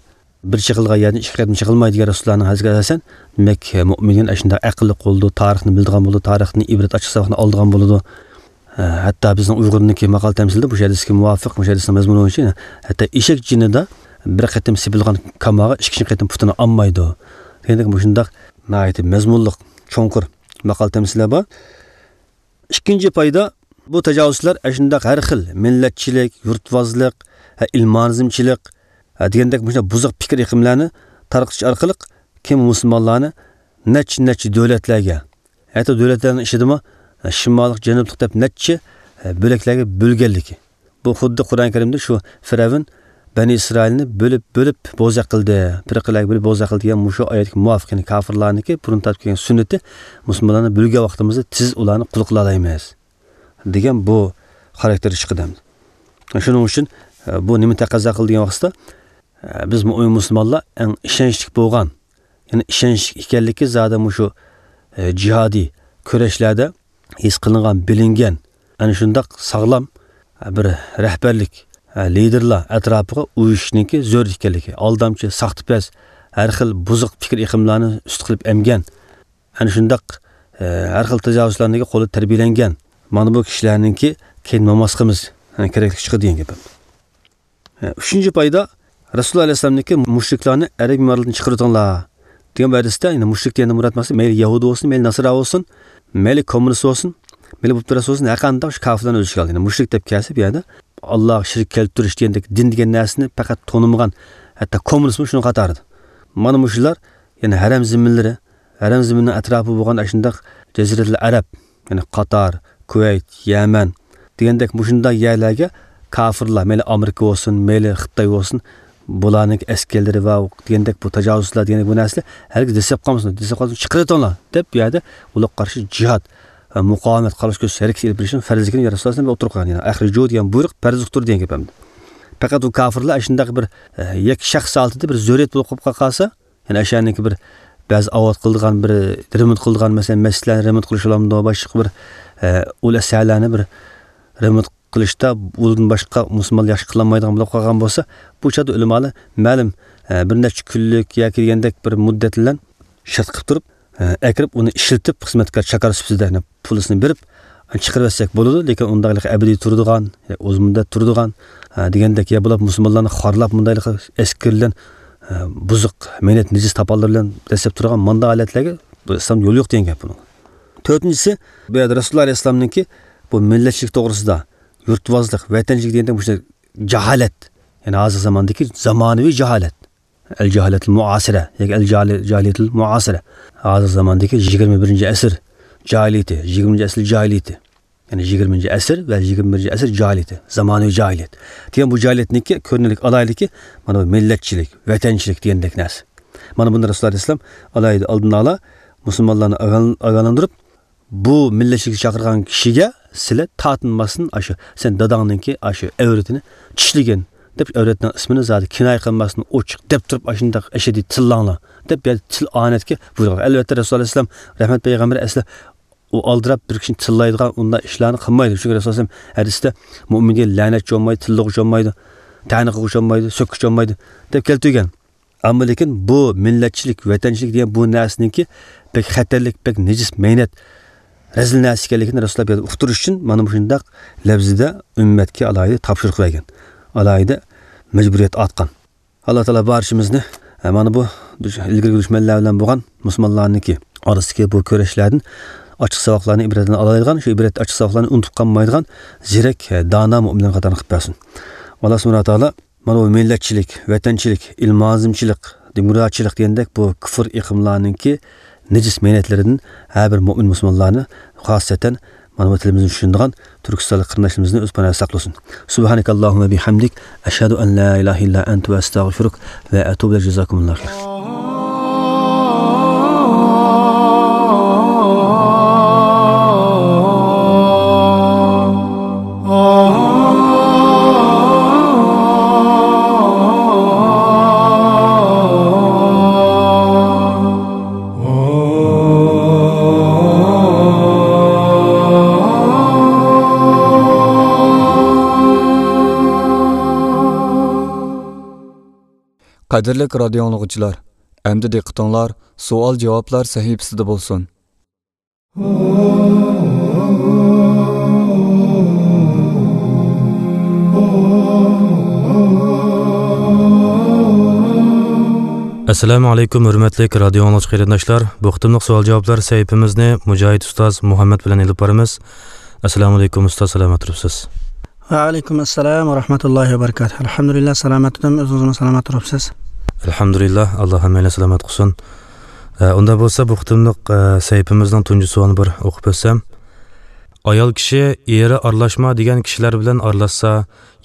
بىر چېقىلغان يەردىن ئىككى قېتىم چېقىلمايدۇ دېگەن رەسۇلۇللانىڭ ھەدىسىگە ئاساسەن، دېمەك، مۇئمىن دېگەن ئاشۇنداق ئەقىللىق بولىدۇ، تارىخنى بىلىدىغان بولىدۇ، تارىختىن ئىبرەت ئاچچىق ساۋاقنى ئالىدىغان بولىدۇ. ھە، ھەتتا بىزنىڭ ئۇيغۇرنىڭكى ماقال تەمسىلىدە، مۇشۇ ھەدىسكە مۇۋاپىق، مۇشۇ ھەدىسنىڭ مەزمۇنى بويىچە، ھەتتا ئېشەك جېنىدا بىر قېتىم سېپىلغان كاماغا ئىككىنچى قېتىم پۇتىنى ئالمايدۇ دېگەندەك مۇشۇنداق ناھايىتى مەزمۇنلۇق، چوڭقۇر ماقال تەمسىللەر بار. ئىككىنچى پايدا، بۇ تاجاۋۇزچىلار ئەشۇنداق ھەر خىل مىللەتچىلىك، يۇرتۋازلىق، ھە، ئىلمانىزمچىلىق، ھە، دېگەندەك مۇشۇنداق بۇزۇق پىكىر ئېقىملارنى تارقىتىش ئارقىلىق كېيىن مۇسۇلمانلارنى نەچچە، نەچچە دۆلەتلەرگە، ھەتتا دۆلەتلەرنىڭ ئىچىدىمۇ، ھە، شىماللىق، جەنۇبلۇق دەپ نەچچە، ھە، بۆلەكلەرگە بۆلگەنلىكى. بۇ خۇددى قۇرئان كەرىمدە شۇ فىرئەۋن بەنى ئىسرائىلنى بۆلۈپ، بۆلۈپ بوزەك قىلدى، پىرقىلەرگە بۆلۈپ بوزەك قىلدى دېگەن مۇشۇ ئايەتكە مۇۋاپىق، يەنى كافىرلارنىڭكى بۇرۇن تارتىپ كەلگەن سۈننىتى، مۇسۇلمانلارنى بۆلگەن ۋاقتىمىزدا تېز ئۇلارنى قۇل قىلالايمىز دېگەن بۇ خاراكتېر چىقىدۇ ئەمدى. شۇنىڭ ئۈچۈن، ئە، بۇ نېمە تەقەززا قىلىدۇ دېگەن ۋاقىتتا، ئە، بىز مۆمىن مۇسۇلمانلار ئەڭ ئىشەنچلىك بولغان، يەنى ئىشەنچلىك ئىكەنلىكى زادى مۇشۇ، ئە، جىھادىي كۈرەشلەردە ھېس قىلىنغان، بىلىنگەن، ئەنە شۇنداق ساغلام، ئە، بىر رەھبەرلىك، ئە، لىدېرلار ئەتراپىغا ئۇيۇشۇشنىڭكى زۆرۈر ئىكەنلىكى، ئالدامچى، ساختىپەز، ھەر خىل بۇزۇق پىكىر ئېقىملارنى ئۈستى قىلىپ ئەمگەن، ئەنە شۇنداق، ئە، ھەر خىل تاجاۋۇزچىلارنىڭكى قولىدا تەربىيەلەنگەن، مانا بۇ كىشىلەرنىڭكى كەينىدىن ماڭماسلىقىمىز، ئە، كېرەكلىك چىقىدۇ دېگەن گەپ. ئە، ئۈچىنچى پايدا، رەسۇلۇللا ئەلەيھىسسالامنىڭكى مۇشرىكلارنى ئەرەب ئىمارىتىدىن چىقىرىۋېتىڭلار دېگەن بۇ ھەدىستە، يەنى مۇشرىك دېگەندىن مۇراد مەقسەت مەيلى يەھۇدىي بولسۇن، مەيلى ناسارا بولسۇن، مەيلى كوممۇنىست بولسۇن، مەيلى بۇدپەرەس بولسۇن، ھەر قانداق شۇ كاپىرلارنى ئۆز ئىچىگە ئالدى. يەنى مۇشرىك دەپ كەلسە بۇ يەردە ئاللاغا شېرىك كەلتۈرۈش دېگەندەك دىن دېگەن نەرسىنى پەقەت تونۇمىغان، ھەتتا كوممۇنىستمۇ شۇنىڭ قاتارىدا. مانا مۇشۇلار، يەنى ھەرەم زېمىنلىرى، ھەرەم زېمىنىنىڭ ئەتراپى بولغان ئاشۇنداق جەزىرەتۇل ئەرەب، يەنى قاتار، كۇۋەيت، يەمەن دېگەندەك مۇشۇنداق يەرلەرگە كاپىرلار، مەيلى ئامېرىكا بولسۇن، مەيلى خىتاي بولسۇن، بۇلارنىڭ ئەسكەرلىرى ۋە دېگەندەك بۇ تاجاۋۇزچىلار دېگەندەك بۇ نەرسىلەر ھەرگىز دەسسەپ قالمىسۇن، دەسسەپ قالسا چىقىرىۋېتىڭلار دەپ بۇ يەردە ئۇلارغا قارشى جىھاد ۋە مۇقاۋىمەت، قارشى كۈرەش ھەرىكىتى ئېلىپ بېرىشنىڭ پەرزلىكىنى يا رەسۇلۇللاھ ئەلەيھىسسالام ئوتتۇرىغا قويغان. يەنى ئەخرىجۇ دېگەن بۇيرۇق پەرز ئۇقتۇر دېگەن گەپ ئەمدى. پەقەت ئۇ كاپىرلار ئاشۇنداق بىر، ئە، يەككە شەخس ھالىتىدە بىر زۆرۈرىيەت بولۇپ قالىپ قالسا، يەنى ئاشۇنىڭكى بىر بەزى ئاۋات قىلىدىغان، بىر رېمونت قىلىدىغان، مەسىلەن، مەسچىتلەرنى رېمونت قىلىش بولامدۇ، باشقا بىر، ئە، ئۇل ئەسەرلەرنى بىر رېمونت قىلىشتا ئۇدىن باشقا مۇسۇلمانلار ياخشى قىلالمايدىغان بولۇپ قالغان بولسا، بۇ چاغدا ئۆلىمالار مەلۇم، ئە، بىر نەچچە كۈنلۈك ياكى دېگەندەك بىر مۇددەت بىلەن شەرت قىلىپ تۇرۇپ، ئە، ئەكىرىپ ئۇنى ئىشلىتىپ خىزمەتكار چاكار سۈپىتىدە، يەنى پۇلىسىنى بېرىپ، ئە، چىقىرىۋەتسەك بولىدۇ. لېكىن ئۇنداق ئەبەدىي تۇرىدىغان، ئۇزۇن مۇددەت تۇرىدىغان، ئە، دېگەندەك يا بولۇپ مۇسۇلمانلارنى خارلاپ مۇنداقلىق ئەسكەر بىلەن، ئە، بۇزۇق مەينەت نىجىس تاپانلار بىلەن دەسسەپ تۇرىدىغان مانداق ھالەتلەرگە بۇ ئىسلامدا يول يوق دېگەن گەپ بۇنىڭ. تۆتىنچىسى، بۇ يەردە رەسۇلۇللاھ ئەلەيھىسسالامنىڭكى بۇ مىللەتچىلىك توغرىسىدا، يۇرتۋازلىق، ۋەتەنچىلىك دېگەندە مۇشۇ جاھالەت. يەنى ھازىر زاماندىكى زامانىۋى جاھالەت. ئەل جاھالەتۇل مۇئاسىرە ياكى ئەل جاھالى-، جاھالىيەتۇل مۇئاسىرە. ھازىر زاماندىكى يىگىرمە بىرىنچى ئەسىر جاھىلىيىتى، يىگىرمىنچى ئەسىر جاھىلىيىتى. يەنى يىگىرمىنچى ئەسىر ۋە يىگىرمە بىرىنچى ئەسىر جاھىلىيىتى، زامانىۋى جاھىلىيەت. دېگەن بۇ جاھىلىيەتنىڭكى كۆرۈنەرلىك ئالاھىدىلىكى، مانا بۇ مىللەتچىلىك، ۋەتەنچىلىك دېگەندەك نەرسە. مانا بۇنى رەسۇلۇللاھ ئەلەيھىسسالام ئالاھىدە ئالدىنى ئالا مۇسۇلمانلارنى ئاگاھ-، ئاگاھلاندۇرۇپ، بۇ مىللەتچىلىككە چاقىرغان كىشىگە سىلە تارتىنماستىن، ئاشۇ سەن داداڭنىڭكى ئاشۇ ئەۋرىتىنى چىشلىگىن دەپ، ئەۋرەتنىڭ ئىسمىنى زادى كىنايە قىلماستىن ئوچۇق دەپ تۇرۇپ، ئاشۇنداق ئەشەددىي تىللاڭلار دەپ، يەنى تىل ئانەتكە بۇيرۇغان. ئەلۋەتتە، رەسۇلۇللاھ ئەلەيھىسسالام، رەھمەت پەيغەمبەر ئەسلى ئۇ ئالدىراپ بىر كىشىنى تىللايدىغان ئۇنداق ئىشلارنى قىلمايدۇ. چۈنكى رەسۇلۇللاھ ئەلەيھىسسالام ھەدىستە مۆمىنگە لەنەتچى بولمايدۇ، تىللىغۇچى بولمايدۇ، تەنە قىلغۇچى بولمايدۇ، سۆككۈچى بولمايدۇ دەپ كەلتۈرگەن. ئەمما لېكىن بۇ مىللەتچىلىك، ۋەتەنچىلىك دېگەن بۇ نەرسىنىڭكى بەك خەتەرلىك، بەك نىجىس مەينەت، رەزىل نەرسە ئىكەنلىكىنى رەسۇلۇللاھ بۇ يەردە ئۇقتۇرۇش ئۈچۈن مانا مۇشۇنداق لەۋزىدە ئۈممەتكە ئالاھىدە تاپشۇرۇق بەرگەن، ئالاھىدە مەجبۇرىيەت ئارتقان. ئاللاھ تائالا بارچىمىزنى، ئە، مانا بۇ دۈش-، ئىلگىرىكى دۈشمەنلەر بىلەن بولغان مۇسۇلمانلارنىڭكى ئارىسىدىكى بۇ كۈرەشلەردىن ئاچچىق ساۋاقلارنى، ئىبرەتلەرنى ئالالايدىغان، شۇ ئىبرەت ئاچچىق ساۋاقلارنى ئۇنتۇپ قالمايدىغان زېرەك، ئە، دانا مۆمىنلەرنىڭ قاتارىنى قىلىپ بەرسۇن. ئاللاھ سۇبھانەھۇ ۋە تائالا مانا بۇ مىللەتچىلىك، ۋەتەنچىلىك، ئىلمانىزمچىلىق، دېموكراتچىلىق دېگەندەك بۇ كۇفر ئېقىملارنىڭكى نىجىس مەينەتلىرىدىن ھەر بىر مۆمىن مۇسۇلمانلارنى خاسسەتەن مانا بۇ تىلىمىزنى چۈشىنىدىغان تۈركىستانلىق قېرىنداشلىرىمىزنى ئۆز پاناھىدا ساقلىسۇن. سۇبھانەكاللاھۇممە بىھەمدىك، ئەشھەدۇ ئەن لا ئىلاھە ئىللا ئەنتە ۋە ئەستەغفىرۇك ۋە ئەتۇبۇ ئىلەيك. جازاكۇمۇللاھۇ خەير. قەدىرلىك رادىيو ئاڭلىغۇچىلار، ئەمدى دىققىتىڭلار سوئال-جاۋابلار سەھىپىسىدە بولسۇن. ئەسسالامۇ ئەلەيكۇم، ھۆرمەتلىك رادىيو ئاڭلىغۇچى قېرىنداشلار. بۇ قېتىملىق سوئال-جاۋابلار سەھىپىمىزنى مۇجاھىد ئۇستاز مۇھەممەد بىلەن ئېلىپ بارىمىز. ئەسسالامۇ ئەلەيكۇم ئۇستاز، سالامەت تۇرۇپسىز؟ ۋەئەلەيكۇم ئەسسالام ۋە رەھمەتۇللاھى ۋە بەرىكاتۇھ. ئەلھەمدۇلىللا، سالامەت تۇردۇم. ئۆزىڭىزمۇ سالامەت تۇرۇپسىز؟ ئەلھەمدۇلىللا، ئاللا ھەممەيلەننى سالامەت قىلسۇن. ئە، ئۇنداق بولسا، بۇ قېتىملىق، ئە، سەھىپىمىزنىڭ تۇنجى سوئالىنى بىر ئوقۇپ ئۆتسەم. ئايال كىشى ئېرى ئارىلاشما دېگەن كىشىلەر بىلەن ئارىلاشسا،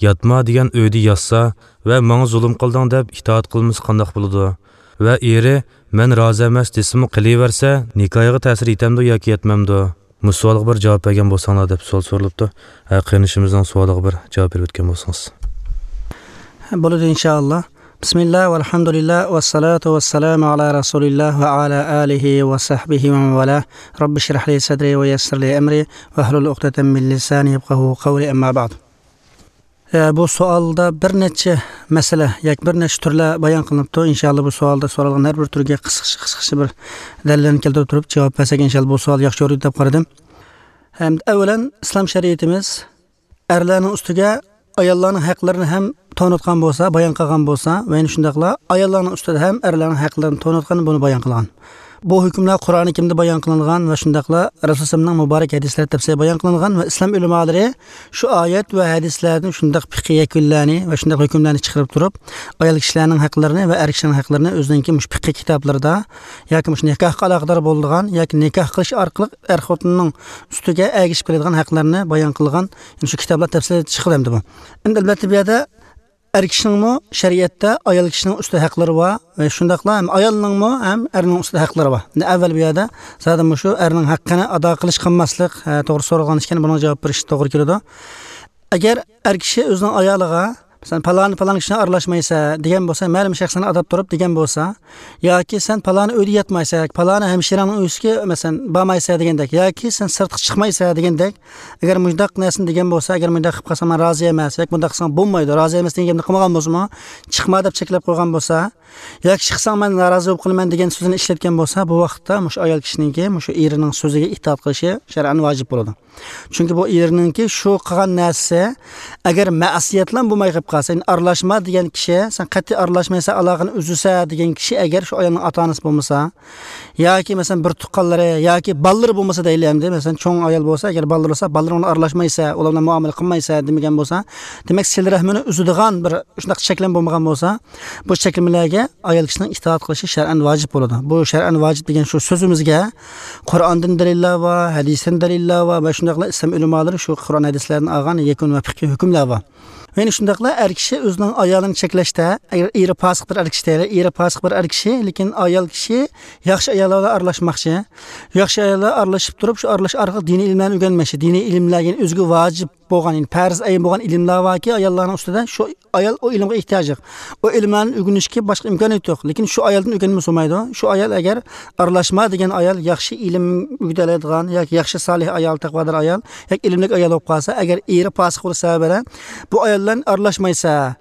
ياتما دېگەن ئۆيدە ياتسا ۋە ماڭا زۇلۇم قىلدىڭ دەپ ئىتائەت قىلمىسا قانداق بولىدۇ؟ ۋە ئېرى مەن رازى ئەمەس دېسىمۇ قىلىۋەرسە، نىكاھىغا تەسىر يېتەمدۇ ياكى يەتمەمدۇ؟ مۇشۇ سوئالغا بىر جاۋاب بەرگەن بولساڭلار دەپ سوئال سورىلىپتۇ. ھە، قېرىندىشىمىزنىڭ سوئالىغا بىر جاۋاب بېرىپ ئۆتكەن بولسىڭىز. بولىدۇ، ئىنشائاللا. بىسمىللا، ۋەلھەمدۇلىللا، ۋەسسالاتۇ ۋەسسالامۇ ئالا رەسۇلىللا ۋە ئالا ئالىھى ۋە سەھبىھى ۋە مەن ۋالا. رەببىشرەھلى سەدرى ۋە يەسسىرلى ئەمرى ۋەھلۇل ئۇقدەتەم مىن لىسانى يەپقەھۇ قەۋلى، ئەمما بەئد. ئە، بۇ سوئالدا بىر نەچچە مەسىلە ياكى بىر نەچچە تۈرلەر بايان قىلىنىپتۇ. ئىنشائاللا، بۇ سوئالدا سورالغان ھەر بىر تۈرگە قىسقىچە، قىسقىچە بىر دەلىللەرنى كەلتۈرۈپ تۇرۇپ جاۋاب بەرسەك، ئىنشائاللا، بۇ سوئال ياخشى يورۇيدۇ دەپ قارىدىم. ھەم ئەۋۋەلەن، ئىسلام شەرىئىتىمىز ئەرلەرنىڭ ئۈستىگە ئاياللارنىڭ ھەقلىرىنى ھەم تونۇتقان بولسا، بايان قىلغان بولسا، ۋە يەنە شۇنداقلا ئاياللارنىڭ ئۈستىدە ھەم ئەرلەرنىڭ ھەقلىرىنى تونۇتقان، بۇنى بايان قىلغان. بۇ ھۆكۈملەر قۇرئانى كەرىمدە بايان قىلىنغان ۋە شۇنداقلا رەسۇلۇللەھنىڭ مۇبارەك ھەدىسلىرى تەپسىلىي بايان قىلىنغان ۋە ئىسلام ئۆلىمالىرى شۇ ئايەت ۋە ھەدىسلەردىن شۇنداق پىقھىي يەكۈنلەرنى ۋە شۇنداق ھۆكۈملەرنى چىقىرىپ تۇرۇپ، ئايال كىشىلەرنىڭ ھەقلىرىنى ۋە ئەر كىشىلەرنىڭ ھەقلىرىنى ئۆزىنىڭكى مۇشۇ پىقھىي كىتابلىرىدا ياكى مۇشۇ نىكاھقا ئالاقىدار بولىدىغان ياكى نىكاھ قىلىش ئارقىلىق ئەر خوتۇننىڭ ئۈستىگە ئەگىشىپ كېلىدىغان ھەقلەرنى بايان قىلغان، يەنى شۇ كىتابلار تەپسىلىي چىقىدۇ ئەمدى بۇ. ئەمدى ئەلۋەتتە بۇ يەردە ئەر كىشىنىڭمۇ شەرىئەتتە ئايال كىشىنىڭ ئۈستىدە ھەقلىرى بار ۋە شۇنداقلا ھەم ئايالنىڭمۇ ھەم ئەرنىڭ ئۈستىدە ھەقلىرى بار. ئەمدى ئەۋۋەل بۇ يەردە زادى مۇشۇ ئەرنىڭ ھەققىنى ئادا قىلىش قىلماسلىق، ھە، توغرا سورالغان ئىكەن، بۇنىڭغا جاۋاب بېرىش توغرا كېلىدۇ. ئەگەر ئەر كىشى ئۆزىنىڭ ئايالىغا، مەسىلەن، پالانى پالان كىشىنى ئارىلاشمايسەن دېگەن بولسا، مەلۇم شەخسنى ئاتاپ تۇرۇپ دېگەن بولسا، ياكى سەن پالانى ئۆيدە ياتمايسەن، پالانى ھەمشىرەڭنىڭ ئۆيىسىگە، مەسىلەن، بارمايسەن دېگەندەك، ياكى سەن سىرتقا چىقمايسەن دېگەندەك، ئەگەر مۇنداق نەرسىنى دېگەن بولسا، ئەگەر مۇنداق قىلىپ قالساڭ مەن رازى ئەمەس ياكى مۇنداق قىلساڭ بولمايدۇ، رازى ئەمەس دېگەن گەپنى قىلمىغان بولسىمۇ، چىقما دەپ چەكلەپ قويغان بولسا، ياكى چىقساڭ مەن نارازى بولۇپ قالىمەن دېگەن سۆزىنى ئىشلەتكەن بولسا، بۇ ۋاقىتتا مۇشۇ ئايال كىشىنىڭكى مۇشۇ ئېرىنىڭ سۆزىگە ئىتائەت قىلىشى شەرئەن ۋاجىپ بولىدۇ. چۈنكى بۇ ئېرىنىڭكى شۇ قىلغان نەرسىسى ئەگەر مەسىيەتلا بولماي قېلىپ قالسا، يەنى ئارىلاشما دېگەن كىشى، سەن قەتئىي ئارىلاشمايسەن، ئالاقىنى ئۈزىسەن دېگەن كىشى ئەگەر شۇ ئايالنىڭ ئاتا ئانىسى بولمىسا، ياكى مەسىلەن بىر تۇغقانلىرى ياكى بالىلىرى بولمىسا دەيلى ئەمدى، مەسىلەن چوڭ ئايال بولسا، ئەگەر بالىلىرى بولسا، بالىلىرىڭ بىلەن ئارىلاشمايسەن، ئۇلار بىلەن مۇئامىلە قىلمايسەن دېمىگەن بولسا، دېمەك سىلە رەھمىنى ئۈزىدىغان بىر شۇنداق چەكلىمە بولمىغان بولسا، بۇ چەكلىمىلەرگە ئايال كىشىنىڭ ئىتائەت قىلىشى شەرئەن ۋاجىپ بولىدۇ. بۇ شەرئەن ۋاجىپ دېگەن شۇ سۆزىمىزگە قۇرئاندىن دەلىللەر بار، ھەدىستىن دەلىللەر بار ۋە شۇنداقلا ئىسلام ئۆلىمالىرى شۇ قۇرئان ھەدىسلەردىن ئالغان يەكۈن ۋە پىقھىي ھۆكۈملەر بار. يەنە شۇنداقلا ئەر كىشى ئۆزىنىڭ ئايالىنى چەكلەشتە، ئەگەر ئېرى پاسىق بىر ئەر كىشى دەيلى، ئېرى پاسىق بىر ئەر كىشى، لېكىن ئايال كىشى ياخشى ئاياللار بىلەن ئارىلاشماقچى. ياخشى ئاياللار ئارىلىشىپ تۇرۇپ، شۇ ئارىلىشىش ئارقىلىق دىنىي ئىلىملەرنى ئۆگەنمەكچى. دىنىي ئىلىملەر، يەنى ئۆزىگە ۋاجىپ بولغان، يەنى پەرز ئەين بولغان ئىلىملەر باركى، ئاياللارنىڭ ئۈستىدە، شۇ ئايال ئۇ ئىلىمغا ئېھتىياجلىق. ئۇ ئىلىملەرنى ئۆگىنىشكە باشقا ئىمكانىيىتى يوق. لېكىن شۇ ئايالدىن ئۆگەنمىسە بولمايدۇ. شۇ ئايال ئەگەر ئارىلاشما دېگەن ئايال ياخشى ئىلىم ئۆگىتەلەيدىغان ياكى ياخشى سالىھ ئايال، تەقۋادار ئايال ياكى ئىلىملىك ئايال بولۇپ قالسا، ئەگەر ئېرى پاسىق بولۇش سەۋەبى بىلەن بۇ ئايال بىلەن ئارىلاشمايسەن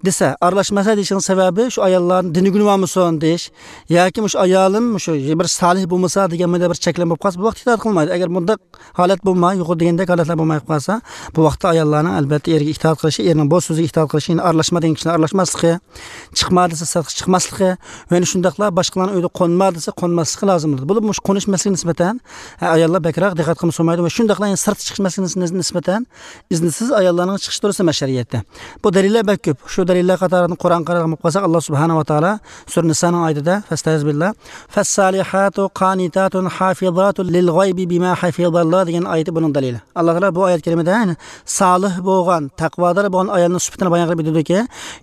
دېسە، ئارىلاشمايسەن دېيىشنىڭ سەۋەبى شۇ ئاياللارنى دىنى گۇنىۋالمىسۇن دېيىش ياكى مۇشۇ ئايالىم مۇشۇ بىر سالىھ بولمىسا دېگەن مۇنداق بىر چەكلىمە بولۇپ قالسا، بۇ ۋاقىتتا ئىتائەت قىلمايدۇ. ئەگەر مۇنداق ھالەت بولماي، يۇقىرىدا دېگەندەك ھالەتلەر بولماي قالسا، بۇ ۋاقىتتا ئاياللارنىڭ ئەلۋەتتە ئېرىگە ئىتائەت قىلىشى، ئېرىنىڭ بۇ سۆزىگە ئىتائەت قىلىشى، يەنى ئارىلاشما دېگەن كىشىلەر ئارىلاشماسلىقى، چىقما دېسە سىرتقا چىقماسلىقى، ۋە يەنە شۇنداقلا باشقىلارنىڭ ئۆيىدە قونما دېسە قونماسلىقى لازىم بولىدۇ. بولۇپمۇ مۇشۇ قونۇش مەسىلىسىگە نىسبەتەن، ھە، ئاياللار بەكرەك دىققەت قىلمىسا بولمايدۇ ۋە شۇنداقلا يەنە سىرتقا چىقىش مەسىلىسىگە نىسبەتەن ئىزنىسىز ئاياللارنىڭ چىقىشى دۇرۇس ئەمەس شەرىئەتتە. بۇ دەلىللەر بەك كۆپ. شۇ دەلىللەر قاتارىدىن قۇرئان قارىغان بولۇپ قالساق، ئاللا سۇبھانەھۇ ۋە تائالا سۈرە نىسانىڭ ئايىتىدە، فەستەئىز بىللا، فەسسالىھاتۇ قانىتاتۇن ھافىزاتۇن لىل غەيبى بىما ھەفىزاللا دېگەن ئايىتى بۇنىڭ دەلىلى. ئاللا تائالا بۇ ئايەت كەرىمىدە، يەنى سالىھ بولغان، تەقۋادار بولغان ئايالنىڭ سۈپىتىنى بايان قىلىپ ئېيتىدۇكى،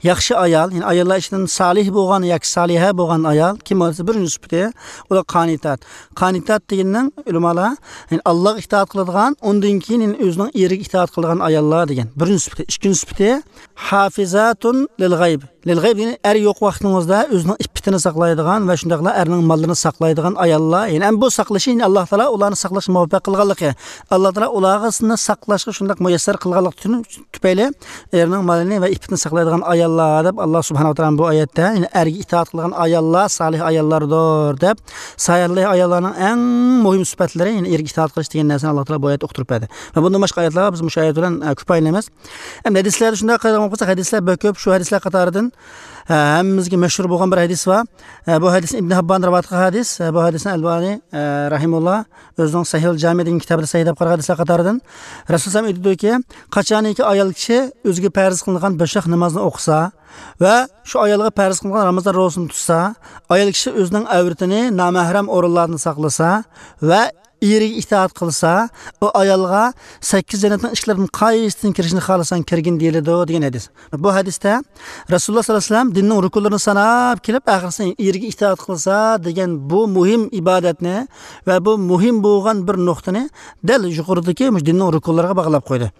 ياخشى ئايال، يەنى ئاياللار ئىچىدىن سالىھ بولغان ياكى سالىھە بولغان ئايال كىم بولسا، بىرىنچى سۈپىتى، ئۇلار قانىتات. قانىتات دېگەننىڭ ئۆلىمالار، يەنى ئاللاغا ئىتائەت قىلىدىغان، ئۇندىن كېيىن يەنى ئۆزىنىڭ ئېرىگە ئىتائەت قىلىدىغان ئاياللار دېگەن. بىرىنچى سۈپىتى. ئىككىنچى سۈپىتى، ھافىزاتۇن لىل غەيب. لىل غەيب دېگەن ئەر يوق ۋاقتىڭىزدا ئۆزىنىڭ ئىپپىتىنى ساقلايدىغان ۋە شۇنداقلا ئەرنىڭ ماللىرىنى ساقلايدىغان ئاياللار. يەنى ئەمدى بۇ ساقلىشى، يەنى ئاللا تائالا ئۇلارنى ساقلاشقا مۇۋەپپەق قىلغانلىقى، ئاللا تائالا ئۇلارغا ساقلاشقا شۇنداق مۇيەسسەر قىلغانلىقى تۈپەيلى ئېرىنىڭ مالىنى ۋە ئىپپىتىنى ساقلايدىغان ئاياللار دەپ، ئاللا سۇبھانەھۇ ۋە تائالا بۇ ئايەتتە، يەنى ئەرگە ئىتائەت قىلغان ئاياللار سالىھ ئاياللاردۇر دەپ، سالىھ ئاياللارنىڭ ئەڭ مۇھىم سۈپەتلىرى، يەنى ئېرىگە ئىتائەت قىلىش دېگەن نەرسىنى ئاللا تائالا بۇ ئايەتتە ئۇقتۇرۇپ بەردى. ۋە بۇندىن باشقا ئايەتلەر بار، بىز مۇشۇ ئايەت بىلەن، ئە، كۇپايىلىنىمىز. ئەمدى ھەدىسلەردە شۇنداق قارايدىغان بولساق، ھەدىسلەر بەك كۆپ. شۇ ھەدىسلەر قاتارىدىن، ئە، ھەممىمىزگە مەشھۇر بولغان بىر ھەدىس بار. ئە، بۇ ھەدىسنى ئىبن ھەببان رىۋايەت قىلغان ھەدىس. ئە، بۇ ھەدىسنى ئەلبانى، ئە، رەھىمۇللا ئۆزىنىڭ سەھىھۇل جامى دېگەن كىتابىدا سەھىھ دەپ قارىغان ھەدىسلەر قاتارىدىن رەسۇلۇللاھ ئېيتىدۇكى، قاچانكى ئايال كىشى ئۆزىگە پەرز قىلىنغان بەش ۋاق نامازنى ئوقۇسا ۋە شۇ ئايالغا پەرز قىلىنغان رامىزان روزىسىنى تۇتسا، ئايال كىشى ئۆزىنىڭ ئەۋرىتىنى نامەھرەم ئورۇنلاردىن ساقلىسا ۋە ئېرىگە ئىتائەت قىلسا، ئۇ ئايالغا سەككىز جەننەتنىڭ ئىشىكلىرىدىن قايسىسىدىن كىرىشنى خالىساڭ كىرگىن دېيىلىدۇ دېگەن ھەدىس. بۇ ھەدىستە رەسۇلۇللاھ سەللەللاھۇ ئەلەيھى ۋەسەللەم دىننىڭ رۇكۇنلىرىنى ساناپ كېلىپ، ئاخىرسى ئېرىگە ئىتائەت قىلسا دېگەن بۇ مۇھىم ئىبادەتنى ۋە بۇ مۇھىم بولغان بىر نۇقتىنى دەل يۇقىرىدىكى مۇشۇ دىننىڭ رۇكۇنلىرىغا باغلاپ قويدى.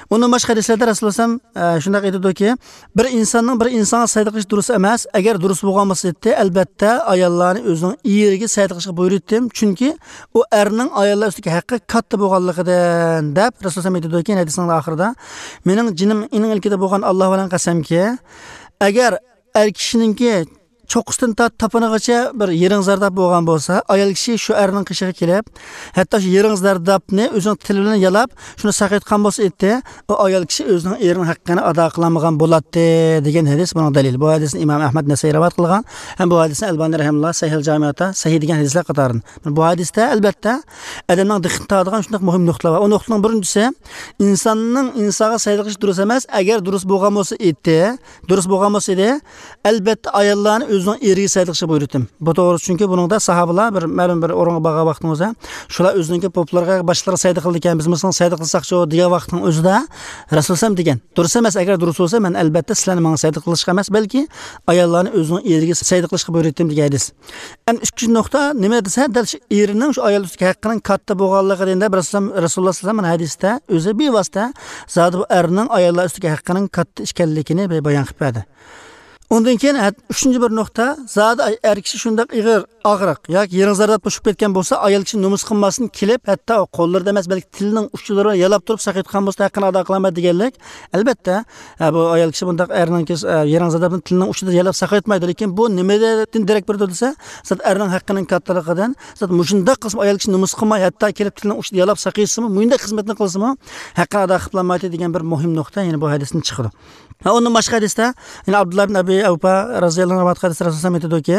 ئۇندىن باشقا ھەدىسلەردە رەسۇلۇللاھ ئەلەيھىسسالام، ئە، شۇنداق ئېيتىدۇكى، بىر ئىنساننىڭ بىر ئىنسانغا سەدىقە قىلىشى دۇرۇس ئەمەس. ئەگەر دۇرۇس بولغان بولسا ئېيتتى، ئەلبەتتە ئاياللارنى ئۆزىنىڭ ئېرىگە سەدىقە قىلىشقا بۇيرۇيتتىم، چۈنكى ئۇ ئەرنىڭ ئاياللار ئۈستىدىكى ھەققى كاتتا بولغانلىقىدىن، دەپ رەسۇلۇللاھ ئەلەيھىسسالام ئېيتىدۇكى، ھەدىسنىڭ ئاخىرىدا، مېنىڭ جېنىم ئېنىڭ ئىلكىدە بولغان ئاللاھ بىلەن قەسەمكى، ئەگەر ئەر كىشىنىڭكى چوققىسىدىن تارتىپ تاپىنىغىچە بىر يىرىڭ زەرداب بولغان بولسا، ئايال كىشى شۇ ئەرنىڭ قېشىغا كېلىپ، ھەتتا شۇ يىرىڭ زەردابنى ئۆزىنىڭ تىلى بىلەن يالاپ، شۇنى ساقايتقان بولسا ئىتى، ئۇ ئايال كىشى ئۆزىنىڭ ئېرىنىڭ ھەققىنى ئادا قىلالمىغان بولاتتى، دېگەن ھەدىس بۇنىڭ دەلىلى. بۇ ھەدىسنى ئىمام ئەھمەد نەسائىي رىۋايەت قىلغان ھەم بۇ ھەدىسنى ئەلبانى رەھىمەھۇللا سەھىھ جامىئاتا سەھىھ دېگەن ھەدىسلەر قاتارىدىن. بۇ ھەدىستە، ئەلبەتتە، ئادەمنىڭ دىققىتىنى تارتىدىغان شۇنداق مۇھىم نۇقتىلار بار. ئۇ نۇقتىنىڭ بىرىنچىسى، ئىنساننىڭ ئىنسانغا سەيدە قىلىشى دۇرۇس ئەمەس. ئەگەر دۇرۇس بولغان بولسا ئىتى، دۇرۇس بولغان بولسا ئىدى، ئەلبەتتە، ئاياللارنى ئۆزىنىڭ ئېرىگە سەيدە قىلىشقا بۇيرۇتتىم. بۇ توغرىسىدا، چۈنكى بۇنىڭدا ساھابىلار بىر مەلۇم بىر ئورۇنغا بارغان ۋاقتىڭىزدا، شۇلار ئۆزىنىڭكى پوپلىرىغا، باشلىرىغا سەيدە قىلىدىكەن، بىز مۇسۇلمان سەيدە قىلساقچۇ دېگەن ۋاقىتنىڭ ئۆزىدە، رەسۇلۇللا دېگەن، دۇرۇس ئەمەس، ئەگەر دۇرۇس بولسا، مەن ئەلبەتتە سىلەرنى ماڭا سەيدە قىلىشقا ئەمەس، بەلكى ئاياللارنى ئۆزىنىڭ ئېرىگە سەيدە قىلىشقا بۇيرۇتتۇم دېگەن ھەدىس. ئەمدى ئىككىنچى نۇقتا نېمە دېسە، دەل شۇ ئېرىنىڭ شۇ ئايال ئۈستىدىكى ھەققىنىڭ كاتتا بولغانلىقىنى دەپ رەسۇلۇللا، رەسۇلۇللا سەللەللاھۇ ئەلەيھى ۋەسەللەم ھەدىستە ئۆزى بىۋاسىتە زادى بۇ ئەرنىڭ ئاياللار ئۈستىدىكى ھەققىنىڭ كاتتا ئىكەنلىكىنى بە-، بايان قىلىپ بەردى. ئۇندىن كېيىن ھە-، ئۈچىنچى بىر نۇقتا، زادى ئەر كىشى شۇنداق ئېغىر ئاغرىق ياكى يىرىڭ زەرداب توشۇپ كەتكەن بولسا، ئايال كىشى نومۇس قىلماستىن كېلىپ، ھەتتا قوللىرىدا ئەمەس، بەلكى تىلىنىڭ ئۇچىدا يالاپ تۇرۇپ ساقايتقان بولسا، ھەققىنى ئادا قىلالمايدۇ دېگەنلىك. ئەلبەتتە، ھە، بۇ ئايال كىشى بۇنداق ئەرنىڭكى، ھە، يىرىڭ زەردابنى تىلىنىڭ ئۇچىدا يالاپ ساقايتمايدۇ. لېكىن بۇ نېمىدىن دېرەك بېرىدۇ دېسە، زادى ئەرنىڭ ھەققىنىڭ كاتتىلىقىدىن، زادى مۇشۇنداق قىلسىمۇ ئايال كىشى نومۇس قىلماي، ھەتتا كېلىپ تىلىنىڭ ئۇچىدا يالاپ ساقايتسىمۇ، مۇشۇنداق خىزمەتنى قىلسىمۇ، ھەققىنى ئادا قىلالمايدۇ دېگەن بىر مۇھىم نۇقتا يەنە بۇ ھەدىستىن چىقىدۇ. ھە، ئۇندىن باشقا ھەدىستە، يەنە ئابدۇللا بىن ئەبى ئەۋپا رەزىياللاھۇ ئەنھۇ رىۋايەت قىلىدۇ، رەسۇلۇللا ئېيتىدۇكى،